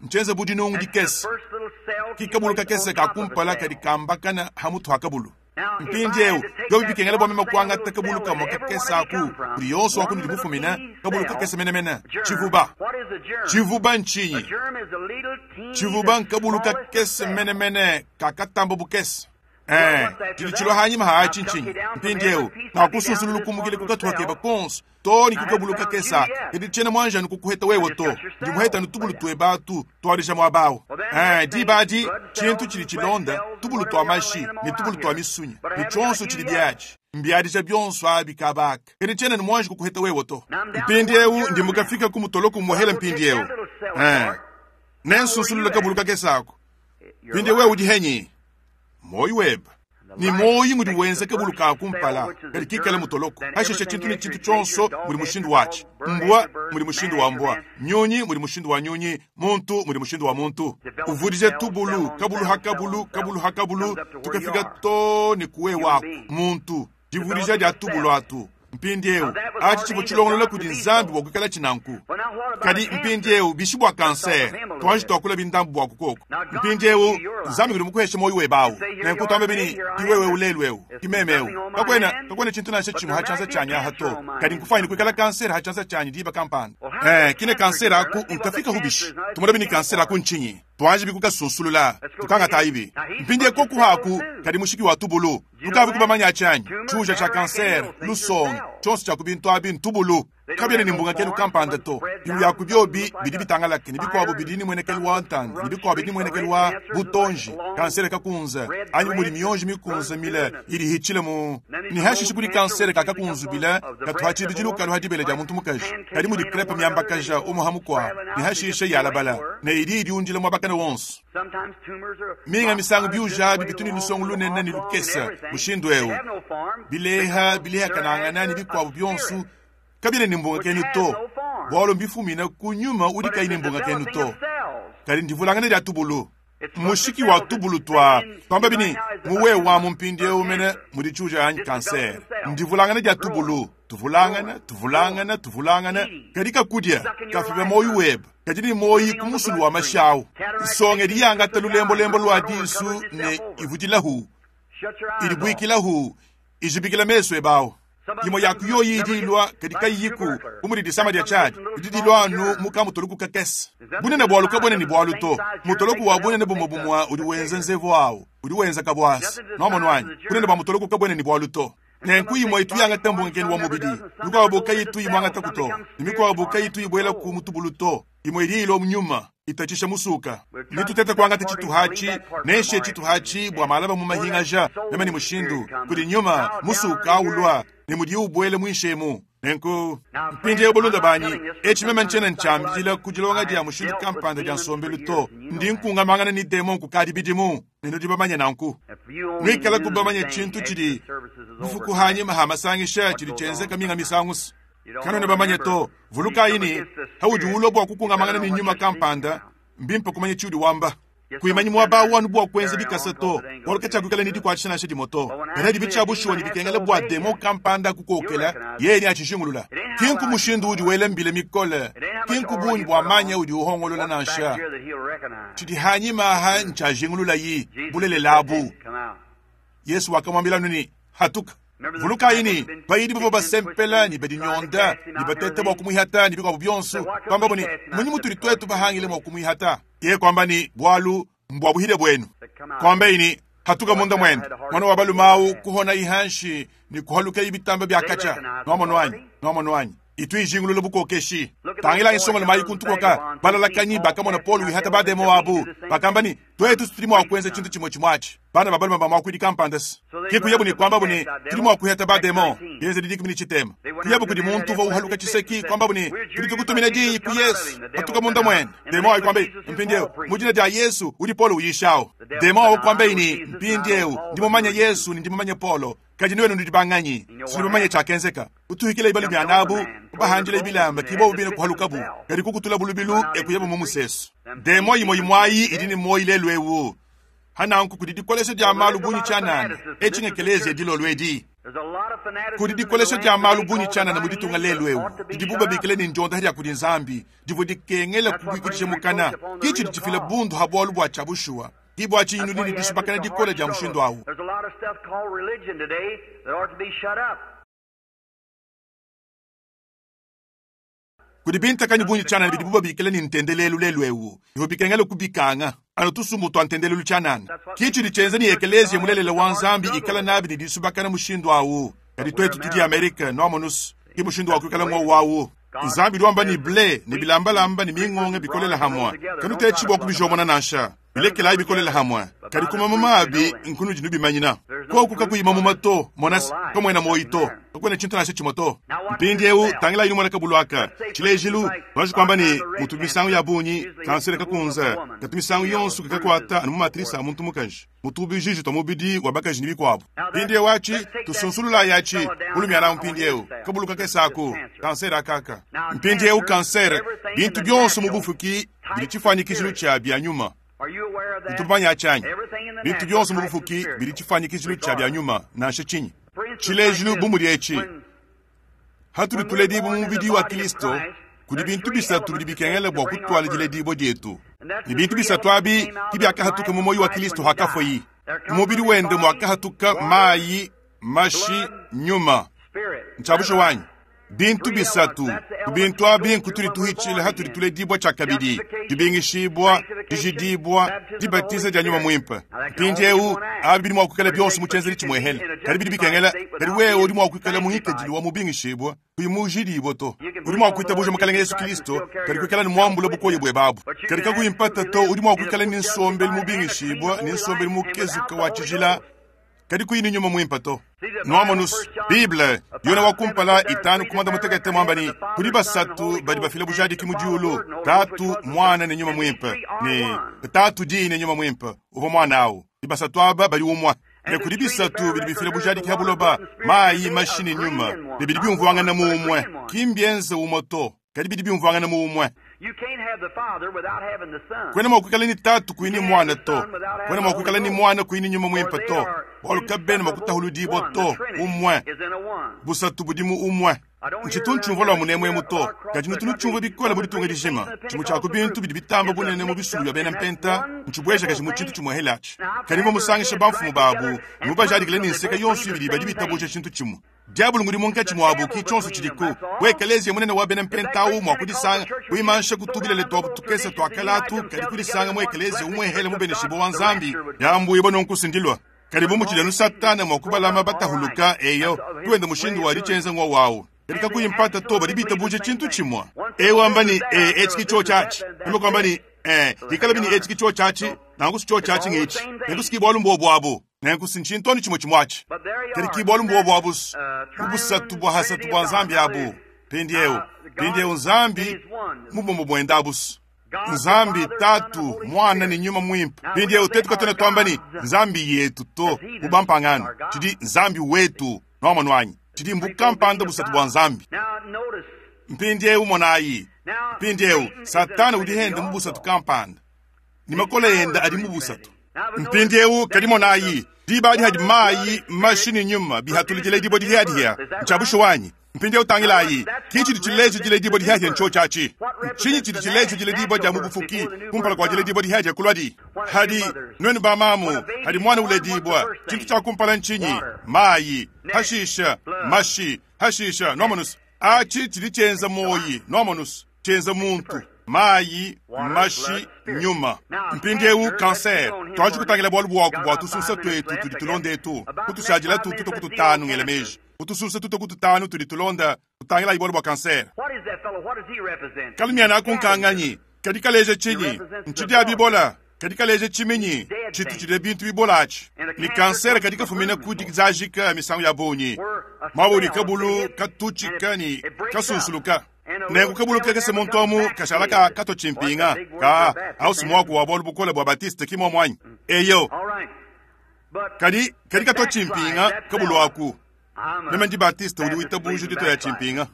Ntshienze bu dinungu dikese. Ki kabulu kakese ka kumpala kadi kambakana ha mutu ha kabulu. Mpindieu, biobi bikengela bua meme kuangata kabulu kamue kakese aku kudi yonso wa kunudi mufumine, kabulu kakese menemene. Tshivuba. Tshivuba ntshinyi? Tshivuba nkabulu kakese menemene kakatamba bukese. Tshidi tshilua hanyima ha atshi ntshinyi? Mpindieu, ngakusunsulula kumukile ku katupa keba konso too ne ku kabulu kakese aka. Kadi tshiena muanji anu kukuheta wewe to, ndi muheta anu tubulu tueba atu tuadija muaba awu. Diba adi tshintu tshidi tshilonda tubulu tua mashi ne tubulu tua misunya ne tshionso tshidi biatshi mbiadija bionso abi kaba aka. Kadi tshiena ne muanji kukuheta wewe to. Mpindieu ndi mukafika ku mutoloko muhela mpindieu. Nensunsulule kabulu kakese aku. Mpindieu wewe udi henyi? Muoyo webe ne muoyo ngudi wenza kabulu ka kumpala kadi kikale mutoloko. Hashishe tshintu ne tshintu tshionso mudi mushindu watshi. Mbua mudi mushindu wa mbua, nyunyi mudi mushindu wa nyunyi, muntu mudi mushindu wa muntu. Uvudije tubulu kabulu ha kabulu, kabulu ha kabulu, tukafika to ne kuwe waku muntu. Divudija dia tubulu atu mpindieu atshi tshivua tshilongolola kudi Nzambi bua kuikala tshinanku. Kadi mpindieu bishi bua kanser? Tuanji tuakula bindambu bua kukoko. Mpindieu Nzambi udi mukuheshe muoyo webe awu. Nenku tuambe bini ki wewe ulelu eu, ki meme eu. Kakuena kakuena tshintu nansha tshimue ha tshianza tshianyi aha to. Kadi nkufanyine kuikala kanser ha tshianza tshianyi diba kampanda. Kine kanser aku nkafika hu bishi? Tumona bini kanser aku ntshinyi? Tuanji bikukasunsulula, tukangatayi bi. Mpindieu koku haku kadi mushiki wa tubulu. Tukavi kubamanya tshianyi tshiuja tshia kanser, lusonga, tshionso tshia ku bintu abi ntubulu. Kabiena ne mbungakelu kampanda to. Bimue bia ku biobi bidi bitangalake ne bikuabu bidi ne muenekelu wa ntanda ne bikuabu bidi ne muenekelu wa butonji, kansere kakunza anyi bu mudi mionji mikunza mile idi ihitshila mu ne hashishe kudi kansere kakakunzubila katu ha tshibidilu kalu ha dibele dia muntu mukaji kadi mudi crepe miambakaja umue ha mukuabu ne hashishe yalabala ne idi idiundila muaba kana wonso. Minga misangu biuja abi bitu ne lusongo lunene ne lukese mushindu eu, bileha bilehakanangana ne bikuabu bionso kabiena ne mbungakenu to, bualu mbifumine ku nyuma udi kayi ne mbungakenu to. Kadi ndivulangana dia tubulu. Mushiki wa tubulu tua tuamba bini muwe wa mu mpindieu mene mudi tshiuja anyi kanser. Ndivulangana dia tubulu, tuvulangana, tuvulangana, tuvulangana, kadi kakudia kafibe muoyo webe. Kadi ne muoyo ku musulu wa mashi awu. Nsonga idi yangata lulembolembo lua disu ne ivudilahu, idibuikilahu, ijibikila mesu ebe awu. Imue ya ku yoyi idi ilua kadi kayiyiku bu mudi disama dia tshiadi, didi dilua anu mu kamutoloku kakese. Bunene bualu kabuena ne bualu to. Mutoloku wa bunene bumue bumue udi wenza nzevu awu, udi wenza kabuasa. Nuamonu anyi? Bunene bua mutoloku kabuena ne bualu to. Nenku imue itu yangata mbungakenu wa mubidi, mikuabu kayitu imuangataku to, ne mikuabu kayitu ibuela ku mutubulu to. Imue idi ilua mu nyuma, itatshisha musuka. Nitutete kuangata tshituha atshi, nenshiye tshituha atshi bua malaba mu mahingaja meme ne mushindu kudi nyuma musuka ulua ne mudiye ubuela muinshi emu. Nenku mpindieu balunda banyi, etshi meme ntshiena ntshiambila ku dilonga dia mushindu kampanda dia nsombelu to. Ndi nkungamangana ne demon kukadi bidimu, ne nudi bamanye nanku. Nuikala kubamanye tshintu tshidi bufuku hanyima ha masangisha tshidi tshienzeka minga misangu. Kanuena bamanye to. Vulukayi ne, haudi ulua bua kukungamangana ne nyuma kampanda, mbimpe kumanya tshiudi wamba. Kuimanyi muaba awu anu bua kuenza bikasa to, bualu katshiakuikala ne dikuatshisha nansha dimue to. Kadi adi bitshia bushuwa ne bikengela bua demon kampanda kukokela, yeye neatshijingulula. Ki nku mushindu udi wela mbila mikole, ki nku bungi bua manya udi uhongolola nansha. Tshidi hanyima aha ntshiajingululayi bulelela abu. Yesu wakamuambila anu ne, hatuka. Vulukayi ne, bayidi bavua basempela ne badinyonda ne bateta bua kumuihata ne bikuabu bionso, kuambabu ne, munyi mutudi tuetu bahangile mua kumuihata? Yeye kuamba ne, bualu mbua buhile buenu. Kuambaye ne, hatuka munda muende. Mwana wa balume awu kuhona ihanshi ne kuhaluka ibitamba bia katshia. Nuamonu anyi? Nuamonu anyi? Itu ijingulula bukokeshi. Tangilayi nsongalume ayi kuntu kuoka. Balalakanyi bakamona Paulo wihata bademon abu, bakamba ne, Tuetu tudi mua kuenza tshintu tshimue tshimue atshi. Bana ba balume ba muakuidi kampanda ke kuyabu ne kuambabu ne, Tudi mua kuihata bademon. Bienzedi 13. Kuyabu kudi muntu uvua uhaluka tshiseki, kuambabu ne, Tudi tukutumina diyi ku Yesu, patuka munda muende. Demon ayi kuambaye, Mpindieu, mu dina dia Yesu udi Paulo uyishawu. Demon awu kuambaye ne, Mpindieu, ndi mumanye Yesu ne ndi mumanye Paulo, kadi nuenu nudi banganyi? Sidi mumanye tshiakenzeka. Kutuhikila ibalu bianabu, kubahandila bilamba, ki bobu bine kuhalukabu, kadi kukutulabu lubilu e kuyabu mu musesu. Demon imue imue ayi idi ne muoyo lelu eu. Hananku kudi dikolesha dia malu bungi tshianana, etshi ng'ekeleziya dilolo edi. Kudi dikolesha dia malu bungi tshianana mu ditunga lelu eu, didibu babikila ne ndiondaha dia kudi Nzambi, divua dikengela kubuikidija mukana. Ki tshidi tshifila bundu ha bualu bua tshia bushuwa. Ki bua tshinyi nudi ne disubakana dikole dia mushindu au. Kudi bintakanyi bungi tshianana bidibu babikila ne ntendelelu lelu'eu, bivua bikengela kubikanga anu tusumbu tua ntendelelu tshianana. Ki tshidi tshienza ne ekeleziya mulelela wa Nzambi ikala nabi ne disubakana mushindu au. Kadi tuetu tudi Amerike, nuamonus, ki mushindu wa kuikala ngowu au. Nzambi udi wamba ne ble ne bilambalamba ne mingonga bikolela hamue, kanutetshi bua kubijomona nansha. Bilekelayi bikolela hamue, kadi ku mamuma abi nkunudi nubimanyina. Koku kakuyi mamuma to, monase, kamuena muoyi to, kakuena tshintu nansha tshimue to. Mpindiewu tangilayi numone kabulu aka. Tshilejilu, tuanji kuamba ne, mutu misangu ya bungi kansere kakunze katu misangu yonso kakakuata anu mu matrise a muntu mukaji, mutu bijiji tua mubidi wa bakaji ne bikuabu. Mpindiewu atshi, tusunsululayi atshi, mulumiana awu mpindiewu, kabulu kakese aku, kansere akaka. Mpindiewu kansere, bintu bionso mu bufuki bidi tshifuanyikijilu tshia bia nyuma. Utu mumanye atshi anyi? Bintu bionso mu bufuki bidi tshifuanyikijilu tshia bia nyuma, nansha tshinyi. Tshilejilu bu mudi etshi, hatudi tuledibua mu mubidi wa Kilisto, kudi bintu bisatu bidi bikengela bua kutuala diledibua dietu. Ne bintu bisatu abi ki biakahatuka mu muoyo wa Kilisto hakafuayi. Mu mubidi wende muakahatuka mayi, mashi, nyuma. Ntshia bushuwa anyi? Bintu bisatu ku bintu abi nkutudi tuhitshila hatudi tuledibua tshiakabidi, dibingishibua, dijidibua, dibatiza dia Nyuma Muimpe. Mpindiewu abi bidi mua kuikala bionso mu tshienzedi tshimuehele, kadi bidi bikengela, kadi wewe udi mua kuikala mu ngikadilu wa mubingishibua kuyi mujidibua to. Udi mua kuitabuja Mukalenge Yesu Kilisto, kadi kuikala ne muambula bukoya buebe abu. Kadi kakuyi mpata to, udi mua kuikala ne nsombelu mubingishibua ne nsombelu mukezuka wa tshijila, kadi kuyi ne Nyuma Muimpe to. Nuamonus, Bible, Yone wa kumpala 5 ku 16 muamba ne, kudi basatu badi bafila bujadiki mu diulu, Tatu, Muana ne Nyuma Muimpe, ne Tatu, Diyi ne Nyuma Muimpe uvua Muana awu. Ne basatu aba badi umue. Ne kudi bisatu bidi bifila bujadiki ha buloba, mayi, mashi ne Nyuma, ne bidi biumvuangana mu umue. Ki mbienze umue to, kadi bidi biumvuangana mu umue. Kuena mua kuikala ne Tatu kuyi ne Muana to, kuena mua kuikala ne Muana kuyi ne Nyuma Muimpe to, bualu kabena mua kutahuludibua to. Umue, busatu budi mu umue. Ntshitu ntshiumvua lua munemuemu to, kadi nutu nutshiumvua bikole mu ditunga dijima. Tshimue tshia ku bintu bidi bitamba bunene mu bisumbu bia bena mpenta ntshibuejakaji mu tshintu tshimuehele atshi. Kadi mvua musangishe bamfumu babu ne mubajadikile ne nseke yonso ibidi badi bitabuja tshintu tshimue. Diabolo ngudi munkatshi muabu, ki tshionso tshidiku. Bu ekeleziya munene wa bena mpenta au mua kudisanga, kuimansha ku tubilele tuabu tukese tua kale atu, kadi kudisanga mu ekeleziya umuehele mubeneshibue wa Nzambi, yambuibua nunku sindilua. Kadi bu mutshidi anu Satana mua kubalama batahuluka, eyo, tuende mushindu wa ditshienza ngua wawu. Kadi kakuyi mpata to, badi bitabuja tshintu tshimue. Eu wamba ne, e, etshi ki tshiotshi atshi. Meme kuamba ne, e, bikalabi ne etshi ki tshiotshi atshi, nanku si tshiotshi atshi ngetshi. Nenku si ki bualu mbuobu abu. Nenku si ntshintu anu tshimue tshimue atshi. Kadi ki bualu mbuobu abu mu busatu bua hasatu bua Nzambi abu. Mpindieu, mpindieu Nzambi mu bumue buende abu. Nzambi Tatu, Muana ne Nyuma Muimpe. Mpindieu tuetu katuena tuamba ne Nzambi yetu to, bu bampangano. Tshidi Nzambi wetu. Nuamonu anyi? Tshidi mbu kampanda busatu bua Nzambi. Mpindieu monayi. Mpindieu Satana udi hende mu busatu kampanda, ne makole ende adi mu busatu. Mpindieu kadi monayi, diba adi hadi mayi, mashi ne nyuma bihatulukila dibue dihiadihia. Ntshia bushuwa anyi? Mpindieu tangilayi, ki tshidi tshileja diledibua dihiadihia ntshiotshi atshi. Ntshinyi tshidi tshileja diledibua dia mu bufuki kumpala kua diledibua dihiadihia kuluadi? Hadi nuenu bamamu, hadi muana uledibua, tshintu tshia kumpala ntshinyi? Mayi, hashisha mashi, hashisha nuamonus. Atshi tshidi tshienza muoyi, nuamonus, tshienza muntu. Mayi, mashi, nyuma. Mpindieu kanser, tuanji kutangila bualu buaku bua tusunsa tuetu tudi tulonda etu, kutushadila tu tuta ku tutanu ngela meji. Ku tusunsa tuta ku tutanu tudi tulonda, tutangilayi bualu bua kanser. Kalumiana aku nkanganyi? Kadi kaleja tshinyi? Ntshidia bibola. Kadi kaleja tshiminyi tshitu tshidia bintu bibola atshi. Ne kansere kadi kafumina ku dizajika misangu ya bungi muaba udi kabulu katutshika ne kasunsuluka. Nenku kabulu kakese muntu amu kashala ka katua tshimpinga ka au muaku wa bualu bukole bua Batiste ki muomu anyi? Eyo. Kadi kadi katua tshimpinga kabulu aku. Meme ndi Batiste udi witabuja ditua ya tshimpinga.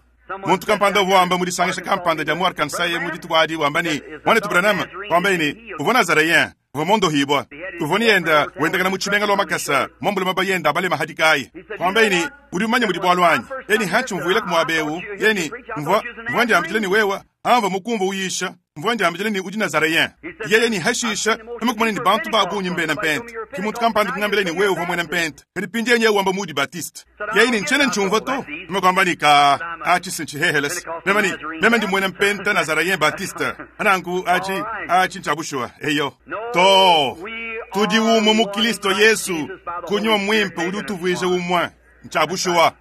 Muntu kampanda uvua wamba mu disangisha kampanda dia mu Arkansas mu dituku adi wamba ne, Muanetu Branham, wambaye ne, uvua Nazareyen, uvua mondohibua, uvua ne yenda wendakana mu tshimenga lua makasa, muambule maba yenda abale mahadikayi. Wambaye ne, udi mumanye mudi bualu anyi? Yeye ne, hantshi mvuila ku muaba eu, yeye ne, mvua mvua ndiambidila ne wewa, amvua mukumvua uyisha, mvua ndiambidila ne udi Nazareyen. Yeye ne hashisha, meme kumona ne bantu ba bungi mbena mpente. Ki muntu kampanda kungambila ne wewe uvua muena mpente. Kadi pindie nyewe wamba mudi Batiste. Yeye ne ntshiena ntshiumvua to. Meme kuamba ne ka atshi sintshihehelese. Meme ne meme ndi muena mpente Nazareyen Batiste. Ananku atshi atshi ntshia bushuwa. Eyo. To. Tudi umue mu Kristo Yesu. Ku nyuma muimpe udi utuvuija umue. Ntshia bushuwa.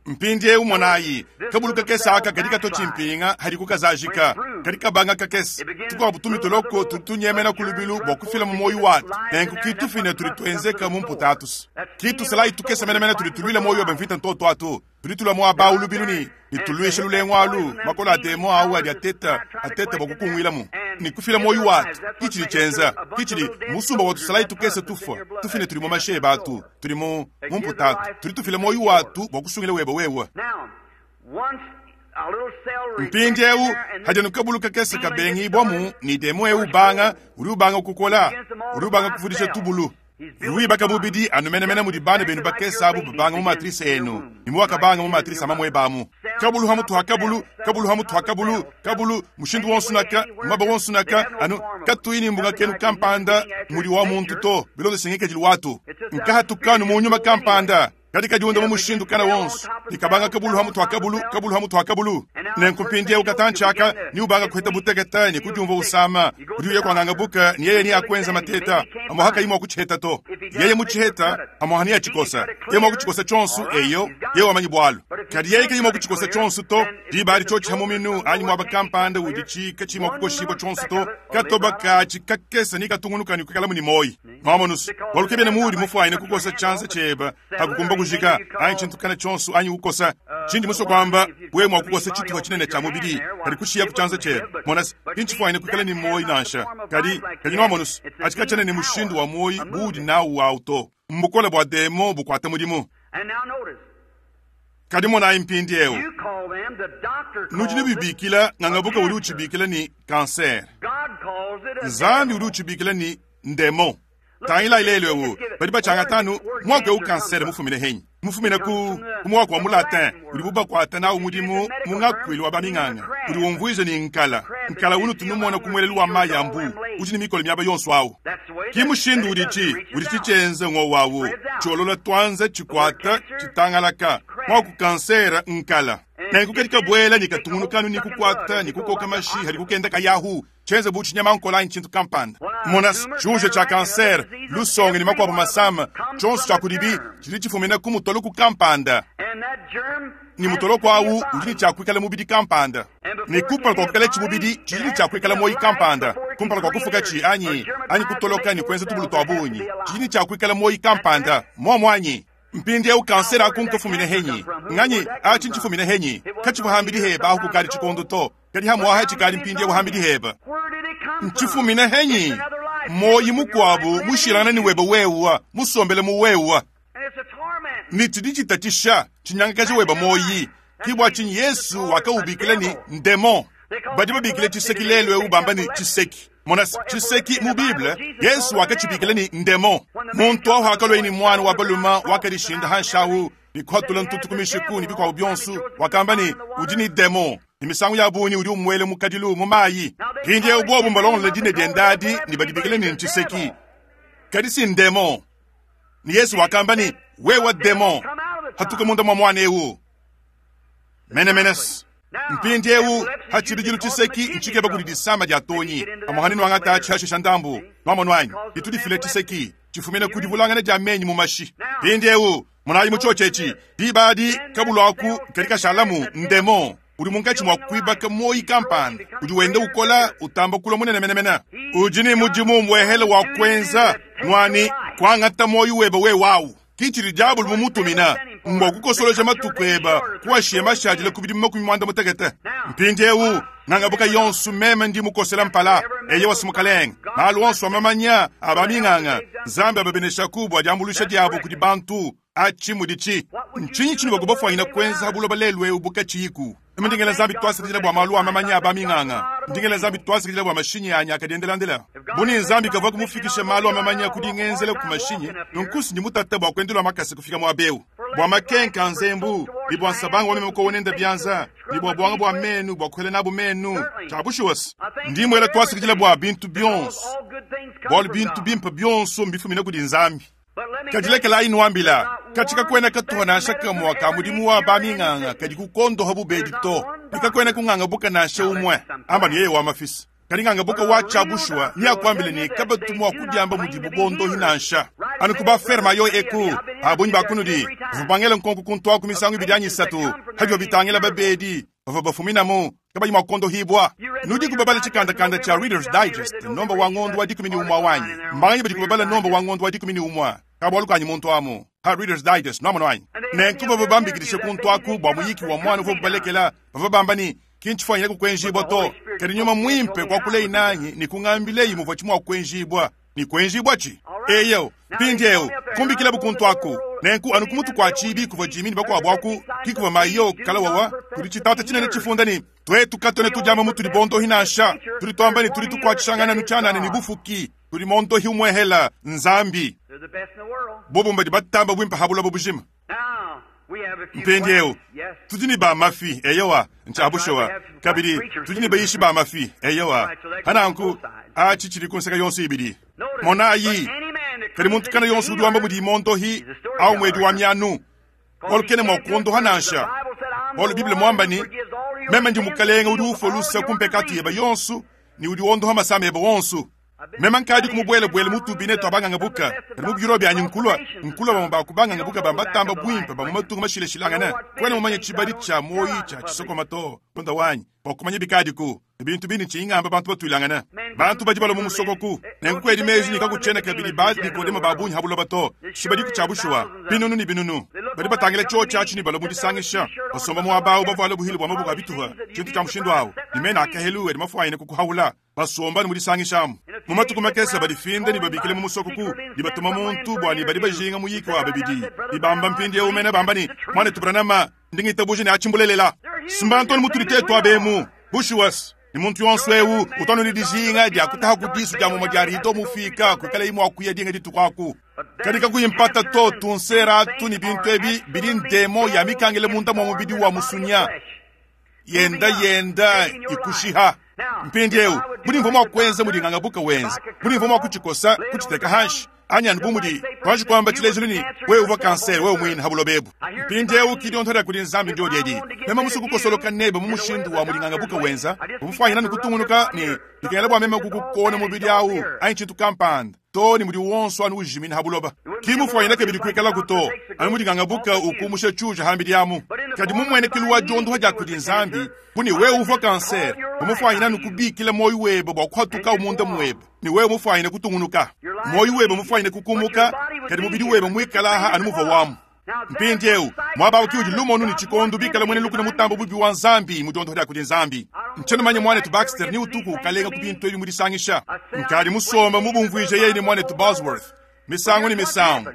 Mpindiewu monayi, kabulu kakese aka kadi katua tshimpinga hadiku kazajika, kadi kabanga kakese. Tukuabu tumitoloko tudi tunyemena ku lubilu bua kufila mu muoyo watu. Nenku kitufine tudi tuenzeka mu mputa atusu. Kitusalayi tukese menemene tudi tuluila muoyo webe mvita ntoto atu. Tudi tulua muaba awu lubilu ne ne tuluisha lulengu alu, makola a demo awu adi ateta, ateta bua kukunguilamu ne kufila muoyo watu. Ki tshidi tshienza, ki tshidi musumba wa tusalayi tukese tufua, tufine tudi mu mashi ebe atu. Tudi mu mu mputatu, tudi tufila muoyo watu bua kusungila webe wewe. Mpindiewu hadi anu kabulu kakese kabengibwamu ne demo eu ubanga, udi ubanga kukola, udi ubanga kuvudisha tubulu. Wibaka mubidi anu menemene mudi bana benu bakese abu babanga mu matrice enu, ne muwakabanga mu matrice a mamuebe amu. Kabulu ha mutu ha kabulu, kabulu ha mutu ha kabulu, kabulu, mushindu wonso naka, muaba wonso naka, anu katuyi ne mbunga kenu kampanda mudi wa muntu to, bilondeshe ngikadilu watu. Nkahatukanu mu nyuma kampanda, kadi kadiunda mu mushindu kana wonso, ne kabanga kabulu ha mutu ha kabulu, kabulu ha mutu ha kabulu. Nenku mpindieu katantshi aka, ne ubanga kuheta butekete ne kudiumvua usama, udi uya kuanganga buka ne yeye ne akuenza mateta, amuha kayi mua kutshiheta to. Yeye mutshiheta, amuha ne atshikosa. Yeye mua kutshikosa tshionso, eyo, yeye wamanyi bualu. Kadi yeye kayi mua kutshikosa tshionso to, diba adi tshiotshi ha muminu anyi muaba kampanda udi tshi mua kukoshibua tshionso to, katoba katshi kakese ne katungunuka ne kuikalamu ne muoyo. Mwamonusu, bualu kebiena muudi mufuanyine kukosa tshianza tshiebe hakukumba kujika anyi tshintu kana tshionso anyi kukosa tshindi musue kuamba, wewe mua kukosa tshitupa tshinene tshia mubidi kadi kushiya ku tshianza tshiebe. Mona se, ki ntshifuanyine kuikala ne muoyo nansha. Kadi, kadi nwamonusu, atshi katshiena ne mushindu wa muoyo buudi nawu awu to. Mbukole bua demon bukuata mudimu. Kadi monayi mpindieu, nudi nubibikila, ngangabuka udi utshibikila ne kanser, Nzambi udi utshibikila ne ndemon. Tangilayi lelu eu, badi batshiangata anu muaku eu kansere mufumine henyi, mufumine ku ku muaku wa mu latin udibu bakuata nawu mudimu mu ngakuilu wa baminganga, udi umvuija ne nkala. Nkala unutu numona ku muelelu wa mayi a mbuu, udi ne mikolo miaba yonso awu. Ki mushindu uditshi, uditshi tshienza ngowu awu, tshiolola tuanza, tshikuata, tshitangalaka. Muaku kansere nkala. Nenku kadi kabuela ne katungunuka anu ne kukuata ne kukoka mashi hadi kukenda kayahu, tshienze bu tshinyamankola anyi tshintu kampanda. Mona, tshiuja tshia kansere, lusongo ne makuabu masama, tshionso tshia kudibi tshidi tshifumina ku mutoloko kampanda, ne mutoloko awu udi ne tshia kuikala mubidi kampanda, ne kumpala kua kuikalatshi mubidi tshidi ne tshia kuikala muoyo kampanda, kumpala kua kufukatshi anyi anyi kutoloka ne kuenza tubulu tua bungi tshidi ne tshia kuikala muoyo kampanda, muomu anyi? Mpindieu kansere aku nkafumine henyi? Nganyi atshi ntshifumine henyi? Katshivua hambidi heba ahu kukadi tshikondo to, kadi hamuaha tshikadi mpindieu hambidi heba. Ntshifumine henyi? Muoyi mukuabu mushilangane ne webe wewa, musombele mu wewa. Ne tshidi tshitatshisha, tshinyangakaja webe muoyi. Ki bua tshinyi Yesu wakaubikila ne ndemon. Badi babikila tshiseki lelu eu bamba ne tshiseki. Mona tshiseki mu Bible, Yesu wakatshibikila ne ndemon. Muntu awu hakalua ne muana wa baluma wakadishinda hanshi awu ne kuhatula ntutu ku mishiku ne bikuabu bionso, wakamba ne udi ne demon. Ne misangu ya bungi udi umuela mu kadilu mu mayi. Mpindieu bobu mbalongolola dina diende adi ne badibikila ne ntshiseki, kadi si ndemon. Ne Yesu wakamba ne, wewe demon, hatuka munda mua muana eu. Menemene. Mpindieu ha tshibidilu tshiseki ntshikeba kudi disama dia tonyi. Amuhane nuangata tshiashisha ndambu, nuamonu anyi, ditu difila tshiseki tshifumina ku divulangana dia menyi mu mashi. Mpindieu monayi mu tshiotshi etshi, diba adi kabulu aku kadi kashalamu ndemon. Udi munkatshi mua kuibaka muoyi kampanda udi wenda ukola, utamba kulua munene menemene. Udi ne mudimu umuehele wa kuenza, ngua ne, kuangata muoyi webe wewe au. Ki tshidi diabolo mumutumina, mbua kukosoloja matuku ebe, kuashiya mashadile ku bidimu 60. Mpindieu, ngangabuka yonso meme ndi mukosela mpala. Eyowa, si mukalenge. Malu onso a mamanya a baminganga, Nzambi ababeneshaku bua diambuluisha diabu kudi bantu. Atshi muditshi. Ntshinyi tshinuvua kubafuanyina kuenza ha buloba lelu eu bu katshiyiku? Meme ndi ngela Nzambi tuasakidila bua malu a mamanya a baminganga. Ndi ngela Nzambi tuasakidila bua mashinyi anyi akadiendelandela. Bu ne Nzambi kavua kumufikisha malu a mamanya ku dingenzela ku mashinyi, nunku si ndi mutata bua kuendela makasa kufika muaba eu. Bua makenka a nzembu, ne bua nsabanga wa meme kowa nenda bianza, ne bua buanga bua menu bua kuela nabu menu. Tshia bushuwa se, ndi muela tuasakidila bua bintu bionso, bualu bintu bimpe bionso mbifumine kudi Nzambi. Kadi lekelayi nuambila, katshi kakuena katuha nansha kamue ka mudimu wa baminganga kadi kukondoha bubedi to, ne kakuena kungangabuka nansha umue. Amba ne yeye wa mafisa. Kadi ngangabuka wa tshia bushuwa neakuambile ne kabatu mua kudiamba mudibu bondohi nansha. Anu ku ba ferme ayo eku, ba bungi ba kunudi bavua bangela nkonko kuntuaku misangu ibidi anyi isatu padibo bitangila babedi bavua bafuminamu kabayi mua kuondohibua. Nudiku babala tshikandakanda tshia Reader's Digest nomba wa ngondo wa 11 wanyi? Mbanganyi badi kubabala nomba wa ngondo wa 11? Ka bualu kanyi muntu amu ha Reader's Digest nuamonu anyi? Nenku bavua bambikidishe kuntu aku bua muyiki wa muana uvuabu balekela, bavua bamba ne, Ki ntshifuanyine kukuenjibua to, kadi nyuma muimpe kuakuleyi nanyi ne kungambileyi muvua tshi mua kuenjibua. Ne kuenjibua tshi? Eyo, mpindieu, kumbikilabu kuntu aku. Nenku anu ku mutu kua tshiibi kuvua Jimmy ne bakuabu aku, ki kuvua Mayo kalawawa kudi tshitata tshinene tshifunda ne, Tuetu katuena tudiamba mutudi bondohi nansha, tudi tuamba ne tudi tukuatshishangana anu tshianana ne bufuki, tudi mondohi umuehela, Nzambi. Bobu mbadi batamba buimpe ha buloba bujima. Mpindieu, tudi ne ba mafi, eyowa, ntshia bushuwa. Kabidi, tudi ne bayishi ba mafi, eyowa. Pa nanku, atshi tshidi ku nseke yonso ibidi. Monayi, kadi muntu kana yonso udi wamba mudi mondohi au muedi wa mianu, bualu kena mua kuondoha nansha. Bualu Bible muamba ne, Meme ndi Mukalenge udi ufua lusa ku mpekatu yebe yonso ne udi wondoha masama ebe wonso. Meme nkadi kumubuelabuela mu tubine tua bangangabuka, kadi mu biro bianyi nkulua nkulua bamue ba ku bangangabuka ba mbatamba buimpe ba mu matunga mashilashilangane. Kuena mumanye tshibadi tshia muoyi tshia tshisokoma to, mulunda wanyi, bua kumanya bikadiku ne bintu bindi ntshiyi ngamba bantu batuilangane. Bantu badi balua mu musokoku, nenku kuedi meji ne kakutshiena kabidi ba Nikodemo ba bungi ha buloba to. Tshibadiku tshia bushuwa, binunu ne binunu badi batangila tshiotshi atshi ne balua mu disangisha, basomba muaba au bavuale buhile bua maboko a bituha, tshintu tshia mushindu au, ne mena a kahelu adi mafuanyine kukuhaula. Basomba ne mu disangisha amu. Mu matuku makese badifinde ne babikile mu musokoku ne batuma muntu bua ne badi bajinga muyiki wa babidi ne bamba mpindieu mene bamba ne, Muanetu Branham, ndi ngitabuja ne atshi mbulelela. Simba ntoni mutudi tetu abemu. Bushuwa ne muntu yonso eu utu anu ne dijinga dia kutaha ku disu dia mumue dia rido mufika kuikalayi mua kuya dinga dituku aku. Kadi kakuyi mpata to, tunsera atu ne bintu ebi bidi ndemo ya mikangile munda mua mubidi wa musunya. Yenda yenda ikushiha. Mpindieu, budi mvua mua kuenza mudi ngangabuka wenza, budi mvua mua kutshikosa, kutshiteka hanshi, anyi anu bu mudi tuanji kuamba tshilejilu ne, wewe uvua kansere wewe muine ha buloba ebu. Mpindieu ki dionto dia kudi Nzambi ndio diedi. Meme musue kukosoloka nebe mu mushindu wa mudi ngangabuka wenza, umufuanyina ne kutungunuka ne bikengela bua meme kukukona mubidi au anyi tshintu kampanda, too ne mudi wonso anu ujimina ha buloba. Ki mufuanyina kabidi kuikalaku to, anu mudi ngangabuka ukumusha tshiuja hambidi amu. Kadi mu muenekelu wa diondoha dia kudi Nzambi, bu ne wewe uvua kansere, umufuanyina anu kubikila muoyo webe bua kuhatukawu munda muebe, ne wewe mufuanyine kutungunuka. Muoyo webe mufuanyine kukumuka, kadi mubidi webe muikalaha anu muvua wamu. Mpindieu, muaba au ki udi lumonu ne tshikondo bikala muena lukuna mutambe bubi wa Nzambi mu diondoha dia kudi Nzambi. Ntshiena mumanye muanetu Baxter ni utuku ukalenga ku bintu ebi mu disangisha. Nkadi musomba mubumvuije yeye ne muanetu Bosworth misangu ne misangu,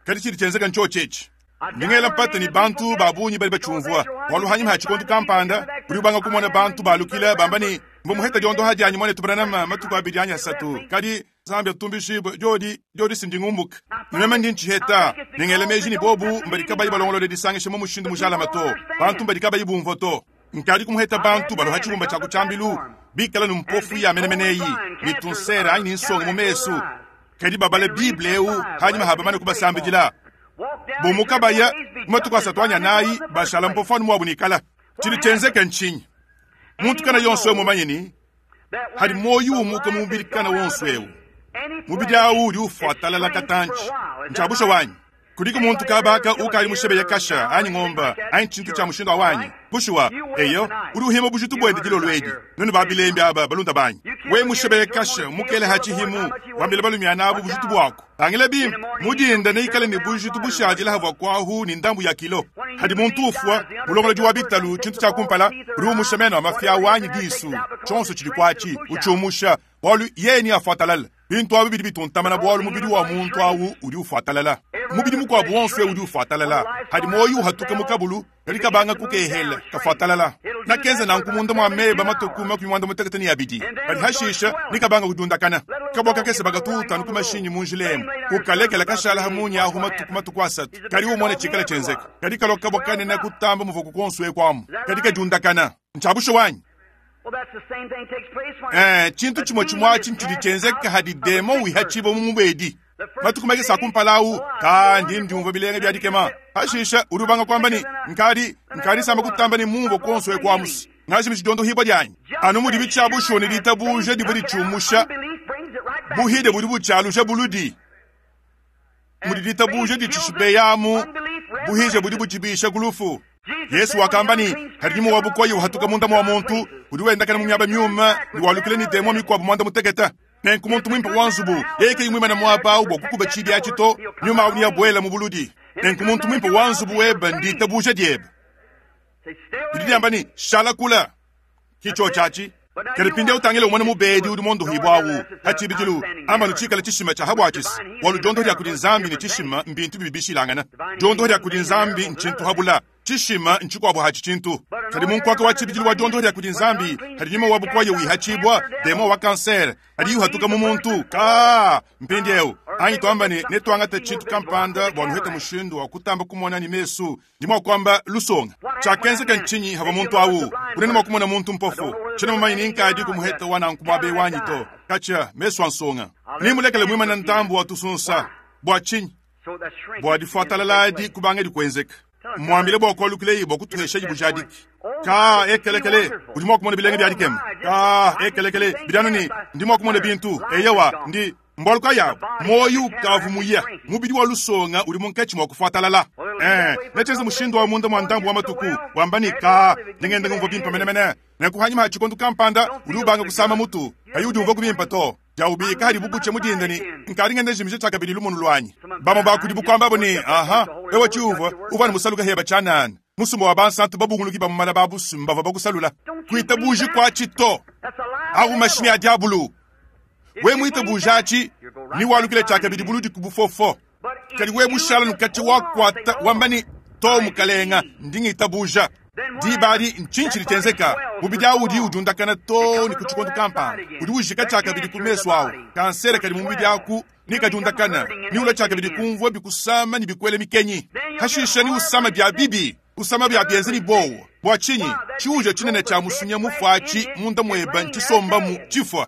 kadi tshidi tshienzeka ntshiotshi etshi. Ndi ngela mpata ne bantu ba bungi badi batshiumvua, bualu hanyima ha tshikondo kampanda udi ubanga kumona bantu balukila bamba ne, Mvua muheta diondoha dianyi muanetu Branham matuku abidi anyi asatu, kadi Nzambi atumbishibue, diodi, diodi si ndingumbuka. Meme ndi ntshiheta, ne ngela meji ne bobu mbadi kabayi balongolole disangisha mu mushindu mujalame to, bantu mbadi kabayi bumvua to. Nkadi kumuheta bantu balua ha tshibumba tshia ku tshiambilu bikala ne mpofu ya menemene eyi, ne tunsere anyi ne nsongo mu mesu, kadi babala Bible eu hanyima ha bamane kubasambidila. Bumuka baya mu matuku asatu anyi anayi, bashala mpofu anu muabu nikala. Tshidi tshienzeke ntshinyi? Muntu kana yonso eu mumanye ne, hadi muoyo umuka mu mubidi kana wonso eu, mubidi au udi ufua talala katantshi. Ntshia bushuwa anyi? Kudiku muntu kaaba ukadi mushebeya kasha anyi ngomba anyi tshintu tshia mushindu awu anyi? Bushuwa, eyo, udi uhima bujitu buende dilolo edi. Nuenu ba bilembi aba, balunda banyi, we mushebeya kasha mukele ha tshihimu, wambila balumiana abu bujitu buaku. Tangila bimpe, mu dinda neikale ne bujitu bushadila havua kuahu ne ndambu ya kilo. Hadi muntu ufua, mulongolodi wa bitalu, tshintu tshia kumpala, udi umusha meno a mafi awu anyi disu, tshionso tshidi kuatshi, utshiumusha, bualu yeye neafuatalale. Bintu abi bidi bituntamana bualu mubidi wa muntu awu udi ufuatalala. Mubidi mukuabu wonso eu udi ufuatalala. Hadi muoyo uhatuka mu kabulu, kadi kabanga kukehela, kafuatalala. Nakenza nanku munda mua meba matuku 32, kadi hashisha nikabanga kudiundakana. Kabua kakese bakatuta anu ku mashinyi mu njila emu, ukalekela kashala ha munya ahu matuku matuku asatu, kadi umone tshikala tshienzeka. Kadi kalua kabua kanene kutamba muvuaku kuonso eku amu, kadi kadiundakana. Ntshia bushuwa anyi? Eh, tshintu tshimue tshimue atshi ntshidi tshienzeka hadi demon wihatshibua mu mubedi. Matuku makese a kumpala au, ka ndi ndiumvua bilenga bia dikema. Hashisha udi ubanga kuamba ne, nkadi nkadi samba kutamba ne mumvua kuonso eku amusi. Ngajimiji diondohibua dianyi. Anu mudibi tshia bushuwa ne ditabuja divua ditshiumusha, buhide budi butshialuja buludi. Mudi ditabuja ditshishibeyamu, buhije budi butshibisha ku lufu. Yesu wakamba ne, Hadi nyuma wa bukoya uhatuka munda mua muntu, udi wendakana mu miaba miume ne walukila ne demon mikuabu muanda mutekete. Nenku muntu muimpe wa nzubu yeye kayi muimane muaba au bua kukuba tshibi atshi to, nyuma au neabuele mu buludi. Nenku muntu muimpe wa nzubu webe nditabuja diebe. Didi diamba ne, Shala kula. Ki tshiotshi atshi. Kadi mpindieu tangila umone mubedi udi muondohibua au. Pa tshibidilu, amba anu tshikale tshishima tshia habuatshisi, bualu diondoho dia kudi Nzambi ne tshishima mbintu bibi bishilangana. Diondoho dia kudi Nzambi ntshintu habula, tshishima ntshikuabu hatshi tshintu. Kadi mu nkuaka wa tshibidilu wa diondoho dia kudi Nzambi, hadi nyuma wa bukoya wihatshibua, demon wa kansere, hadiyi uhatuka mu muntu, kaa, mpindieu, anyi tuamba ne, netuangate tshintu kampanda bua nuhete mushindu wa kutamba kumona ne mesu. Ndi mua kuamba lusonga. Tshiakenzeka ntshinyi havua muntu au? Kunena mua kumona muntu mpofu. Tshiena mumanye ni nkadi kumuheta wa nanku muaba eu anyi to. Katshia, mesu a nsonga. Nimulekele muimane ntambu wa tusunsa. Bua tshinyi? Bua difuatalala adi kubangadi kuenzeka. Muambile bua kualukileyi bua kutuheshayi bujadiki. Ka ekelekele, udi mua kumona bilenga bia dikema. Ka ekelekele, bidi anu ne, ndi mua kumona bintu. Eyowa, ndi. Mbualu kayi abu? Muoyo ukavua muya, mubidi wa lusonga udi munkatshi mua kufuatalala. Ee, netshienze mushindu wa munda mua ndambu wa matuku, wamba ne, Kaa, ndi ngenda ngumvua bimpe menemene. Nenku hanyima ha tshikondo kampanda, udi ubanga kusama mutu, kayi udiumvuaku bimpe to. Diawubika hadibu butshia mu dinda ne, Nkadi ngenda njimija tshiakabidi lumonu luanyi. Bamue ba kudibu kuambabu ne, Aha, wewe tshiuvua, uvua anu musaluke heba tshianana. Musumba wa bansantu babunguluki ba mu malaba a busumba bavua bakusalula. Kuitabuji kuatshi to. Au mashimi a diabulu. We muitabuja atshi, ne walukila tshiakabidi buludi ku bufofo. Kadi we mushala nukatshi wakuata wamba ne, To mukalenga, ndi ngitabuja. Diba adi ntshinyi tshidi tshienzeka? Mubidi au udi udiundakana too ne ku tshikondo kampanda, udi ujika tshiakabidi ku mesu au. Kansere kadi mu mubidi aku ne kadiundakana, ne ulua tshiakabidi kumvua bikusama ne bikuela mikenyi. Hashisha ne usama bia bibi. Kusama bia bienze ne buowa. Bua tshinyi? Tshiuja tshinene tshia musunya mufuatshi munda mueba ntshisombamu tshifua.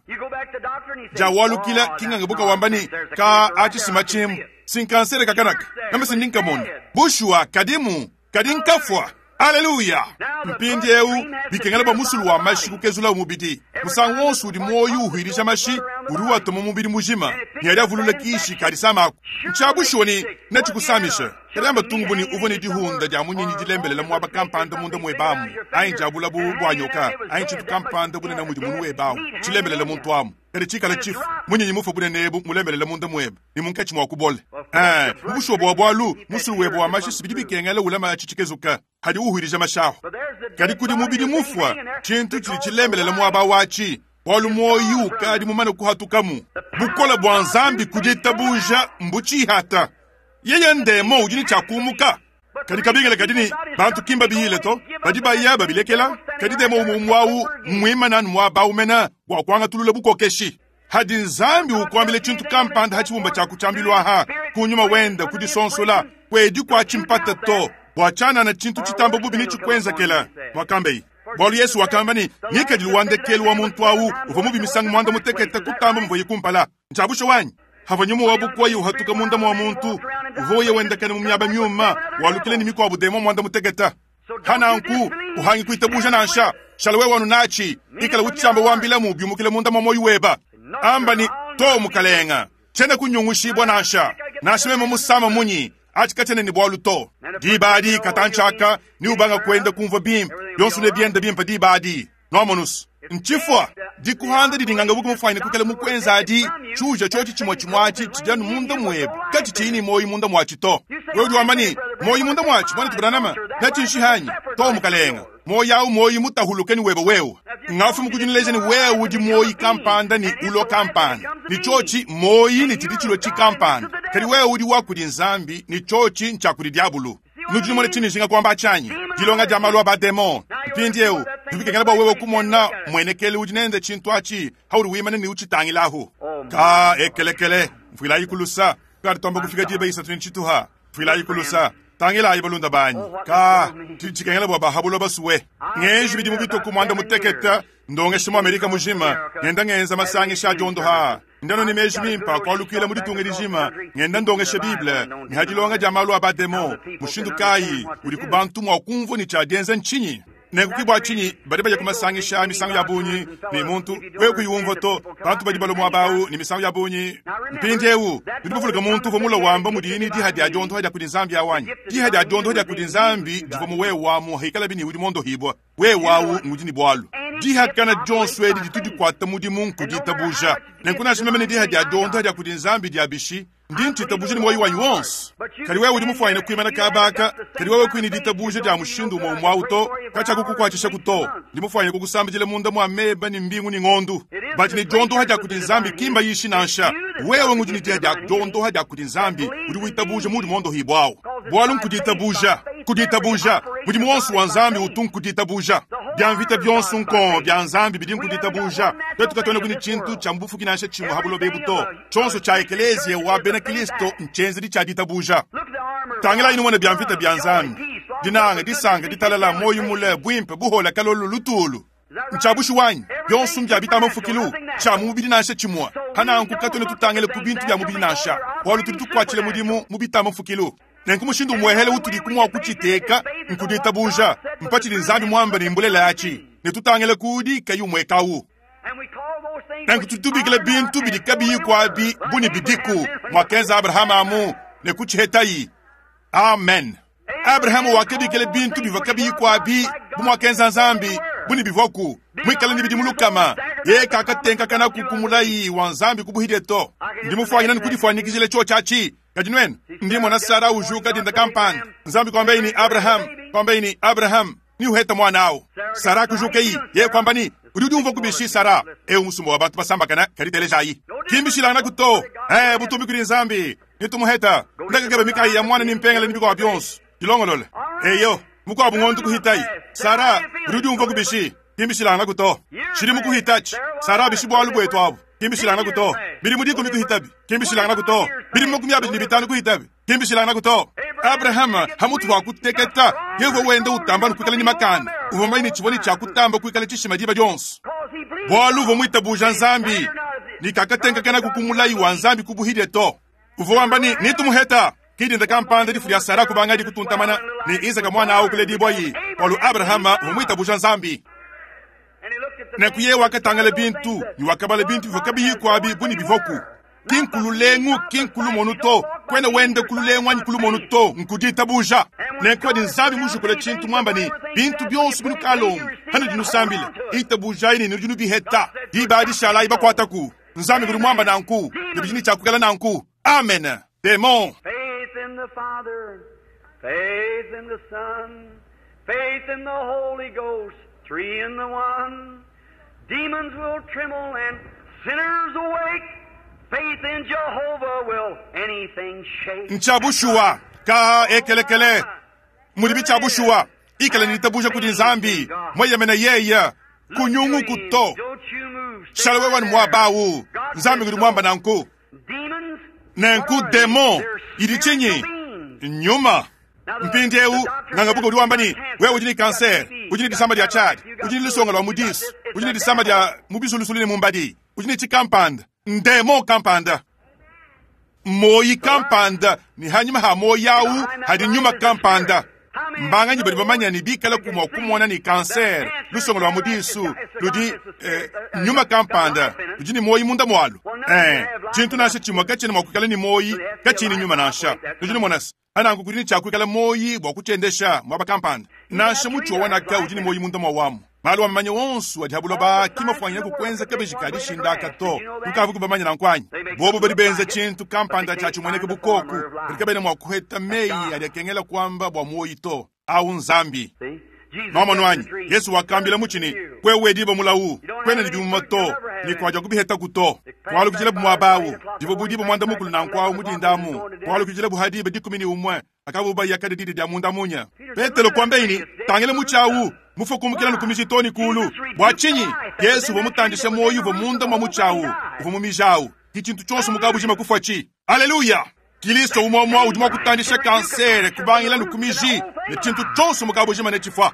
Diawalukila kinganga buka wamba ne, Ka atshisima tshimu si nkansere kakanaka meme si ndi nkamona. Bushuwa kadimu, kadi nkafua. Aleluya! Mpindieu bikengela bua musulu wa mashi kukezulawu mubidi. Musangu wonso udi muoyo uhuilija mashi, udi uatuma mubidi mujima ne adi avulula kishi ka disama aku. Ntshia bushuwa ne netshikusamisha. Kadi amba tungu bu ne uvua ne dihunda dia munyinyi dilembelela muaba kampanda munda muebe amu, anyi diabula bu bua nyoka, anyi tshintu kampanda bunene mudi munu webe awu tshilembelela muntu amu, kadi tshikale tshifu, munyinyi mufue bunene ebu mulembelela munda muebe ne munkatshi mua kubole. Ee, mu bushuwa bua bualu, musulu webe wa mashi si bidi bikengela ulama atshi tshikezuka hadi uhuilija mashi ahu. Kadi kudi mubidi mufua, tshintu tshidi tshilembelela muaba watshi, bualu muoyo ukadi mumane kuhatukamu. Bukole bua Nzambi ku ditabuja mbutshihata. Yeye ndemo udi ne tshia kumuka. Kadi kabingila kadi ne, bantu ki mbabiyile to, badi baya babilekela. Kadi demo umue umue au mmuimane anu muaba au mene bua kuangatulula bukokeshi. Hadi Nzambi ukuambila tshintu kampanda ha tshibumba tshia ku tshiambilu aha, ku nyuma wenda ku disonsola, kuedi kua tshimpata to, bua tshianana tshintu tshitamba bubi netshikuenzekela, muakambeye. Bualu Yesu wakamba ne, ngikadilu wa ndekelu wa muntu au uvua mubi misangu muanda mutekete kutamba muvuaye kumpala. Ntshia bushuwa anyi? Havua nyuma wa bukoya uhatuka munda mua muntu, uvua uya wendakana mu miaba miuma, walukila ne mikuabu demon muanda mutekete. Hananku uhangi kuitabuja nansha. Shala wewe anu natshi, ikala utshiamba wambilamu biumukile munda mua muoyo weba. Amba ne, To mukalenga, tshiena kunyungushibua nansha. Nansha meme musama munyi, Atshi katshiena ne bualu to. Diba adi, katantshi aka, neubanga kuenda kumvua bimpe. Bionso nebiende bimpe diba adi. Nwamonus? Ntshifua. Dikuhanda didi nganga buku mufuanyine kuikala mukuenza adi, tshiuja tshiotshi tshimue tshimue atshi tshidi anu munda muebe, katshitshiyi ne muoyo munda muatshi to. Wewe udi wamba ne, Muoyo munda muatshi, muanetu Branham, netshinshihe anyi? Too, mukalenge. Muoyo au muoyo mutahuluke ne webe wewe. Ngafumu kudi nuleja ne wewe udi muoyo kampanda ne ulua kampanda, ne tshiotshi muoyo ne tshidi tshilua tshikampanda. Kadi wewe udi wa kudi Nzambi ne tshiotshi ntshia kudi diabulu. Nudi numona tshindi njinga kuamba atshi anyi? Dilonga dia malu a ba-demon. Mpindieu, bidi bikengela bua wewe kumona mmuenekelu udi nende tshintu atshi paudi wimana ne utshitangilahu. Ka ekelekele, mfuilayi ku lusa. Tukadi tuamba kufika diba isatu ne tshituha. Mfuilayi ku lusa. Tangilayi balunda banyi. Ka tshidi tshikengela bua ba ha buloba sue. Ngenji bidimu bitue ku muanda mutekete ndongesha mu Amerika mujima, ngenda ngenza masangisha a diondo aa. Ndi ne meji mimpe a kualukila mu ditunga dijima, ngenda ndongesha Bible ne ha dilonga dia malu a ba-demon. Mushindu kayi udiku bantu mua kumvua ne tshia dienza ntshinyi? Nenku ke bua tshinyi badi baya ku masangisha a misangu ya bungi ne muntu wewe kuyi umvua to. Bantu badi balua muaba au ne misangu ya bungi. Mpindieu nudi bavuluka muntu uvua mulue wamba mudiye ne diha dia diondoha dia kudi Nzambi au anyi? Diha dia diondoha dia kudi Nzambi divua mu wewe amu hikalabi ne udi mondohibua. Wewe au ngudi ne bualu. Dihakana dionso edi ditu dikuata mudimu nku ditabuja. Nenku nansha meme ne diha dia diondoha dia kudi Nzambi dia bishi, ndi ntshitabuja ne muoyo wanyi wonso. Kadi wewe udi mufuanyine kuimana kaba aka, kadi wewe kuyi ne ditabuja dia mushindu umue umue au to, katshiakukukuatshishaku to. Ndi mufuanyine kukusambidila munda mua meba ne mbingu ne ngondu. Badi ne diondoha dia kudi Nzambi ki mbayishi nansha. Wewe ngudi ne diha dia diondoha dia kudi Nzambi, udi witabuja muudi muondohibua au. Bualu nku ditabuja, ku ditabuja, mudimu wonso wa Nzambi utu nku ditabuja. Bia mvita bionso nkong bia Nzambi bidi nku ditabuja. Tuetu katuenaku ne tshintu tshia mu bufuki nansha tshimue ha buloba ebu to. Tshionso tshia ekeleziya wa bena Kilisto ntshienzedi tshia ditabuja. Tangilayi numone bia mvita bia Nzambi, dinanga, disanka, ditalala, muoyo mule, buimpe, buhola, kalolo, lutulu. Ntshia bushuwa anyi? Bionso mbia bitamba mfukilu, tshia mu mubidi nansha tshimue. Pa nanku katuena tutangila ku bintu bia mubidi nansha, bualu tudi tukuatshila mudimu mu bitamba mfukilu. Nenku mushindu umuehele utudiku mua kutshiteka nku ditabuja mpa tshidi Nzambi muambe ne mbulelela atshi, ne tutangila ku udi kayi umuekawu. Nanku tudi tubikila bintu bidi kabiyiku abi bu ne bidiku, muakenza Abrahama amu ne kutshihetayi. Amen. Abrahama wakabikila bintu bivua kabiyiku abi bu muakenza Nzambi bu ne bivuaku, muikale ne bidimu lukama. Yeye kakatenkakanaku ku mulayi wa Nzambi ku buhidie to. Ndi mufuanyine ne kudifuanyikijila tshiotshi atshi. Kadi nuenu, ndi mmona Sara ujuka dinda kampanda, Nzambi kuambaye ne, Abraham, kuambaye ne, Abraham, ne uheta muana au. Sara kujukayi, yeye kuamba ne, Udi udiumvua kubishi, Sara? Eu musumba wa bantu basambakana, kadi telejayi. Ki mbishilanganaku to. Eh, butumbi kudi Nzambi. Nitumuheta. Ndakakeba mikayi ya muana ne mpengele ne bikuabu bionso. Dilongolole. Eyo, mukuabu ngondu kuhitayi. Sara, udi udiumvua kubishi? Ki mbishilanganaku to. Tshidimu kuhitatshi. Sara bishi bualu buetu abu. Ki mbishilanganaku to. Bidimu dikumi kuhitabi. Ki mbishilanganaku to. Bidimu 25 kuhitabi. Ki mbishilanganaku to. Abrahama, hamutu pa kuteketa, yeye uvua wenda utamba anu kuikala ne makanda. Uvua mumanye ne tshivua ne tshia kutamba kuikala tshishima diba dionso. Bualu uvua muitabuja Nzambi, ne kakatenkakenaku ku mulayi wa Nzambi ku buhidie to. Uvua wamba ne, Nitumuheta. Ki dinda kampanda difu dia Sara kubangadi kutuntamana, ne Izaka muana au kuledibuayi, bualu Abrahama uvua muitabuja Nzambi. Nenku yeye wakatangila bintu ne wakabala bintu bivua kabiyiku abi bu ne bivuaku. Ki nku lulengu, ki nku lumonu to. Kuena wenda ku lulengu anyi ku lumonu to, nku ditabuja. Nenku padi Nzambi mujukule tshintu muamba ne, Bintu bionso binukalomba panudi nusambila, itabujayi ne nudi nubiheta, diba adi shalayi bakuataku. Nzambi ngudi muamba nanku, ne bidi ne tshia kuikala nanku. Amen. Demon. Faith in the Father, faith in the Son, faith in the Holy Ghost, three in the one. Demons will tremble and sinners awake. Faith in Jehovah will anything shake. Ntshia bushuwa ka ekelekele mudibi tshia bushuwa ikala ne ditabuja kudi Nzambi mueyemene yeye kunyunguku to. Shala wewe anu muaba au. Nzambi ngudi muamba nanku. Nenku demon idi tshinyi? Nyuma. Mpindieu nganga-buka udi wamba ne, wewe udi ne kansere, udi ne disama dia tshiadi, udi ne lusonga lua mu disu, udi ne disama dia mu bisulusulu ne mu mbadi, udi ne tshikampanda, ndemon kampanda, muoyi kampanda, ne hanyima ha muoyi au hadi nyuma kampanda. Mbanganyi badi bamanya ne bikalaku mua kumona ne kansere, lusongo lua mu disu, ludi eh, nyuma kampanda ludi ne muoyi munda mualu? Eh, tshintu nansha tshimue katshiena mua kuikala ne muoyi katshiyi ne nyuma nansha. Nudi numona se, nanku kudi ne tshia kuikala muoyi bua kutshiendesha muaba kampanda. Nansha mutshi wa wanaka udi ne muoyi munda mua wamu. Malu a mamanya onso adi ha buloba ki mafuanyine ku kuenza kabeji ka dishinda aka to. Nukavuku bamanye nanku anyi? Bobo badi benza tshintu kampanda tshia tshimueneke bu koku, kadi kabena mua kuheta meyi adi akengela kuamba bua muoyi to. Au Nzambi. Nuamonu anyi? Yesu wakambila mutshi ne, Wewe diba mulawu, kuena ne bimuma to, ne kuadiakubihetaku to. Kualukijilabu muaba au, divua bu diba muanda mukulu nanku au mu dinda amu, kualukijilabu ha diba 11. Akabu baya kadi didi dia munda munya. Petelo kuambaye ne, Tangila mutshi awu, mufue kumukila ne ku miji too ne kuulu. Bua tshinyi? Yezu uvua mutandishe muoyo uvua munda mua mutshi awu, uvua mu miji awu. Ki tshintu tshionso mu kabujima kufuatshi. Aleluya! Kilisto umue umue udi mua kutandisha kansere kubangila ne ku miji, ne tshintu tshionso mu kabujima netshifua.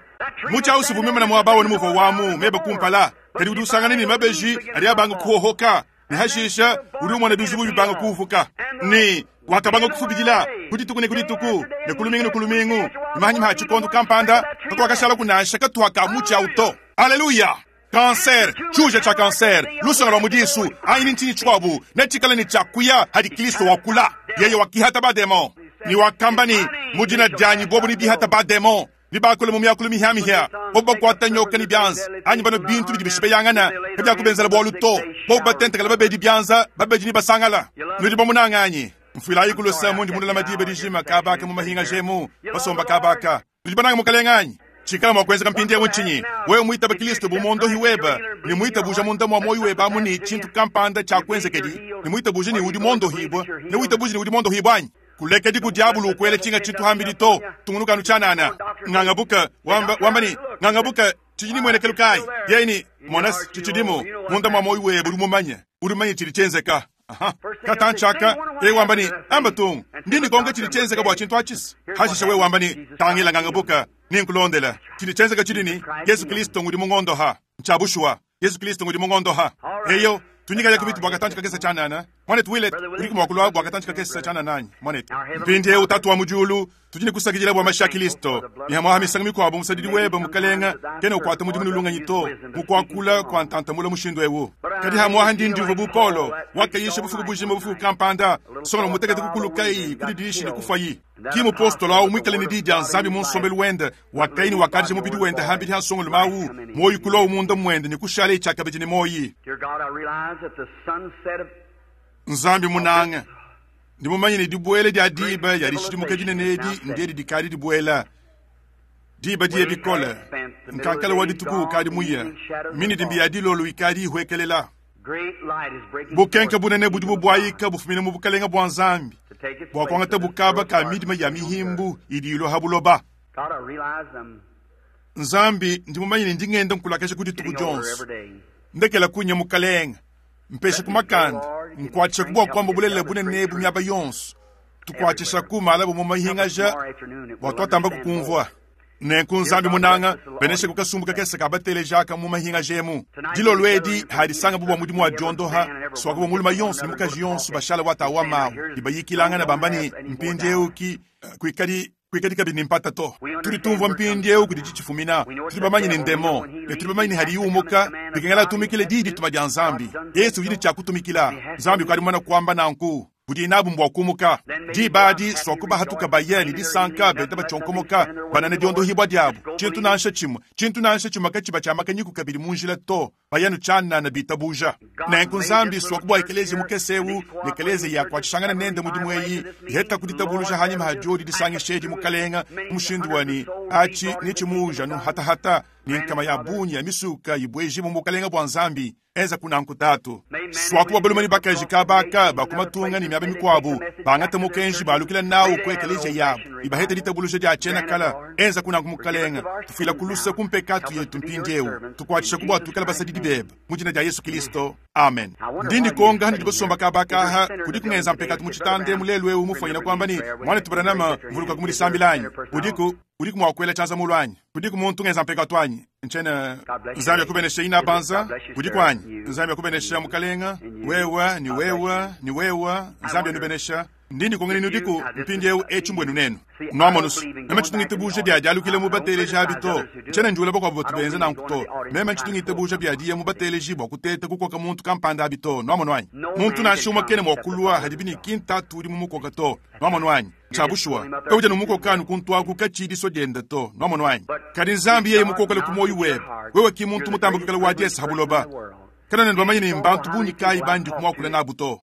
Mutshi awu si uvua muimane muaba awu anu muvua wamu meba kumpala, kadi udi usangana ne mabeji adi abanga kuhohoka. Ne hashisha udi umona bizubu bibanga kuupuka, ne wakabanga kufubidila ku dituku ne ku dituku ne ku lumingu ne ku lumingu, ne mahanyima ha tshikondo kampanda kakuakashalaku nansha katuha ka mutshi au to. Aleluya! Kanser, tshiuja tshia kanser, lusonga lua mu disu, anyi ni ntshinyi tshikuabu, netshikale ne tshia kuya hadi Kristo wakula. Yeye wakihata bademon ne wakamba ne, Mu dina dianyi bobo nebihate bademon. Ne bakula mu miakulu mihia-mihia, bobu bakuata nyoka ne bianza, anyi banua bintu bidi bishipeyangana, kabiakubenzela bualu to. Bobu batentekela babedi bianza, babedi nebasangala. Nudi bamunange anyi? Mfuilayiku luse mundi munulama diba dijima kaba aka mu mahingaja emu, basomba kaba aka. Nudi banange Mukalenge anyi? Tshikala mua kuenzeka mpindieu ntshinyi? Wewe muitabe Kristo bu muondohi webe ne muitabuja munda mua muoyo webe amu ne tshintu kampanda tshiakuenzekedi, ne muitabuje ne udi muondohibue, ne witabuje ne udi muondohibue anyi? Kulekedi ku diabulu ukuela tshinga tshintu hambidi to. Tungunuka anu tshianana. Ngangabuka, wamba, wamba ne, Ngangabuka, tshidi ne muenekelu kayi? Yeye ne, Mona, tshitshidimu munda mua muoyo webe, udi mumanye. Udi mumanye tshidi tshienzeka. Aha. Katantshi aka, yeye wamba ne, Amba tung, ndi ndikonka tshidi tshienzeka bua tshintu atshi. Hashishe wewe wamba ne, Tangila ngangabuka, nenkulondela. Tshidi tshienzeka tshidi ne, Yesu Kristo ngudi mungondoha. Ntshia bushuwa. Yesu Kristo ngudi mungondoha. Eyo, tunyikaya ku mitu bua katantshi kakese tshianana. Muanetu Willett, udiku mua kulua bua katantshi kakese tshianana anyi, muanetu? Mpindieu, Tatu wa mu diulu, tudi ne kusakidila bua mashi a Kristo. Ne hamuaha misangu mikuabu musadidi webe, Mukalenga, kena ukuata mudimu ne lungenyi to mu kuakula kua ntantamula mushindu eu. Kadi hamuaha ndi ndiumvua bu Paulo, wakayisha bufuku bujima bufuku kampanda, nsongalume mutekete kukulukayi ku dididishi ne kufuayi. Ki mupostolo au muikale ne Diyi dia Nzambi mu nsombelu wende, wakaya ne wakadija mubidi wende hambidi ha nsongolume au, muoyo kuluawu munda muende ne kushalaye tshiakabidi ne muoyi. Nzambi munanga, ndi mumanye ne dibuela dia diba ya dishidimuka dinene edi ndiedi dikadi dibuela. Diba diye bikole, nkankala wa dituku ukadi muye, minidimbi ya dilolo ikadi ihuekelela. Bukenke bunene budi bubuayika bufumina mu bukelenge bua Nzambi bua kuangata bukaba ka midima ya mihimbu idi ilua ha buloba. Nzambi, ndi mumanye ne ndi ngenda nkulakasha ku dituku dionso. Ndekela kunya, Mukelenge, mpesha ku makanda, nkuatshishaku bua kuamba bulelela bunene ebu miaba yonso. Tukuatshishaku malaba mu mahingaja bua tuatamba kukumvua. Nenku Nzambi munanga, beneshaku kasumbu kakese ka bateleji aka mu mahingaja emu. Dilolo edi hadisangabu bua mudimu wa diondoha, suaku bua mulume yonso ne mukaji yonso bashala watawa mawu ne bayikilangana bamba ne, Mpindieu ki kuikadi kuikadi kabidi ne mpata to. Tudi tumvua mpindieu kudi tshifumina. Tudi bamanye ne ndemon, ne tudi bamanye ne hadiyi umuka, bikengela atumikile diyi dituma dia Nzambi. Yesu udi ne tshia kutumikila. Nzambi ukadi mumane kuamba nanku. Budi nabu mbua kumuka. Diba adi, suaku bahatuka baye ne disanka, benda batshionkomoka, banana diondohibua diabu. Tshintu nansha tshimue, tshintu nansha tshimue katshiba tshia makanyiku kabidi mu njila to, baya nu tshianana bitabuja. Nenku Nzambi suaku bua ekeleziya mukese eu ne ekeleziya yakuatshishangana nende mudimu eyi iheta ku ditabuluja hanyima ha diodi disangisha edi Mukalenga mu mushindu wa ne atshi netshimuuja nu hatahata ne nkama ya bungi ya misuka ibuejibu mu bukalenga bua Nzambi. Enza kunanku Tatu. Suaku bua balume ne bakaji kaba aka ba ku matunga ne miaba mikuabu bangate mukenji balukila nawu ku ekeleziya yabu ne baheta ditabuluja dia tshiena kala. Enza kunanku Mukalenga. Tufuila ku luse ku mpekatu yetu mpindieu. Tukuatshishaku bua tuikale basadidi bebe. Mu dina dia Yesu Kilisto. Amen. Ndi ndikonga hanudi basomba kaba aka aha, kudiku ngenza mpekatu mu tshitanda emu lelu eu mufuanyina kuamba ne, Muanetu Branham, mvulukaku mu disambila anyi? Udiku, udiku mua kuela tshianza mulu anyi? Kudiku muntu ngenza mpekatu anyi? Ntshiena. Nzambi akubeneshe inabanza. Udiku anyi? Nzambi akubenesha mukalenga. Wewe ne wewe ne wewe. Nzambi anubenesha. Ndi ndikonka ni nudiku mpindyewu. Eci mbwenu nenu. Nwamonu's, meme ncitu ngitabuuja bya dyalukila mu bateeleji abi to. Ncyena ndyula bakwabo batu benza nanku to. Meme ncitu ngitabuuja bya diya mu bateeleji bwa kuteeta kukoka muntu kampanda abi to. Nwamonu anyi? Muntu nansha umwe kena mwa kulwa hadibi ne ki nTaatu udi mumukoka to. Nwamonu anyi? Cya bushuwa, kawudi anu mukoka anu kuntu aku kaciyi diswa dyende to. Nwamonu anyi? Kadi Nzambi yeye mukokele ku mwoyi webe, wewe ki muntu mutambe kwikala wa dyesa ha buloba. Kanwena bamanye ne mbantu bungi kaayi bandiku mwakule naabu to.